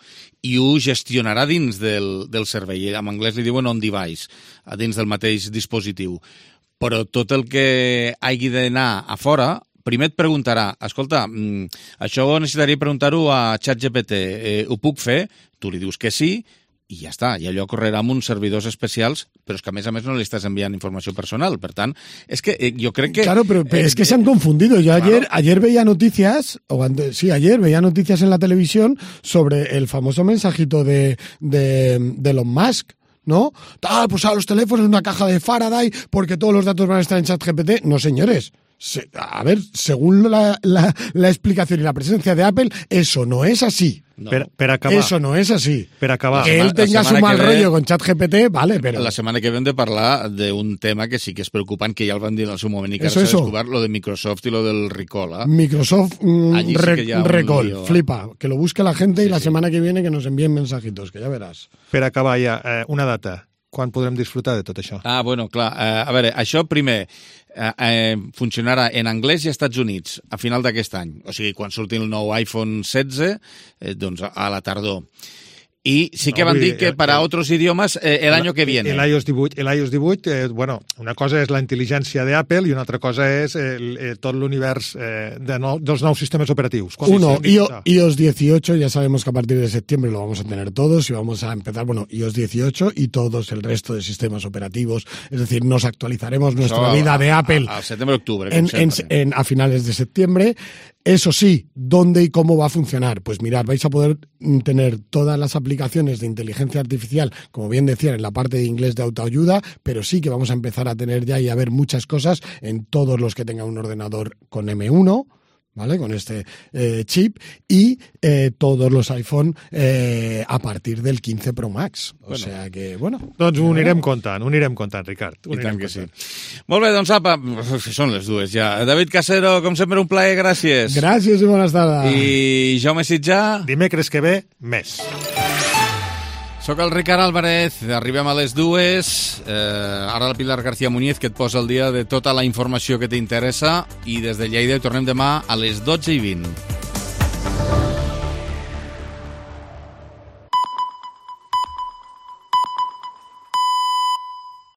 i ho gestionarà dins del, del servei. En anglès li diuen on-device, dins del mateix dispositiu. Però tot el que hagi d'anar a fora, primer et preguntarà, escolta, això necessitaria preguntar-ho a ChatGPT, eh, ho puc fer? Tu li dius que sí, i ja està, i allò correrà amb uns servidors especials, però és que a més a més no li estàs enviant informació personal, per tant, es que eh, yo creo que... Claro, pero, pero eh, es que se han confundido. Yo ayer, claro. ayer veía noticias, o antes, sí, ayer veía noticias en la televisión sobre el famoso mensajito de, de, de Elon Musk, ¿no? Tal, pues a los teléfonos una caja de Faraday porque todos los datos van a estar en ChatGPT. No, señores. Se, a ver, según la, la, la explicación y la presencia de Apple, eso no es así. No. Per, per acabar. Eso no es así. Per acabar. Que él tenga su mal rollo con ChatGPT, vale, pero... La setmana que ve hem de parlar d'un tema que sí que és preocupant, que ja el van dir en el seu moment i que eso, ara s'ha eso. descobert, lo de Microsoft i lo del recall. ¿eh? Microsoft mm, sí re, que recall, lío, flipa. Que lo busque la gente sí, y la sí. semana que viene que nos envíen mensajitos, que ya verás. Per acabar ja, eh, una data. Quan podrem disfrutar de tot això? Ah, bueno, clar. Eh, a veure, això primer eh, eh, funcionarà en anglès i als Estats Units a final d'aquest any. O sigui, quan surti el nou iPhone setze, eh, doncs a la tardor. Y sí que no, van a decir que el, para el, otros idiomas eh, el año que viene. El iOS divuit, el iOS divuit eh, bueno, una cosa és la intel·ligència d'Apple i una altra cosa és el, el, tot l'univers eh, de no, dels nous sistemes operatius. Uno, sí, iOS dieciocho, ya sabemos que a partir de septiembre lo vamos a tener todos y vamos a empezar, bueno, iOS dieciocho y todos el resto de sistemas operativos. Es decir, nos actualizaremos nuestra Eso, vida a, de Apple a, a septiembre-octubre. En, en, en, a finales de septiembre. Eso sí, ¿dónde y cómo va a funcionar? Pues mirad, vais a poder tener todas las aplicaciones de inteligencia artificial, como bien decían, en la parte de inglés de autoayuda, pero sí que vamos a empezar a tener ya y a ver muchas cosas en todos los que tengan un ordenador con eme uno, ¿vale? Con este eh, chip y eh, todos los iPhone eh, a partir del quinze Pro Max. O bueno, sea que, bueno... Doncs ho anirem comptant, ho anirem comptant, Ricard. Ho I tant que comptant. sí. Molt bé, doncs apa, són les dues ja. David Casero, com sempre, un plaer, gràcies. Gràcies i bones tardes. I Jaume Sitjà... Dimecres que ve, més. Soc el Ricard Álvarez, arribem a les dues, eh, ara la Pilar García Muñiz que et posa el dia de tota la informació que t'interessa i des de Lleida tornem demà a les dotze i vint.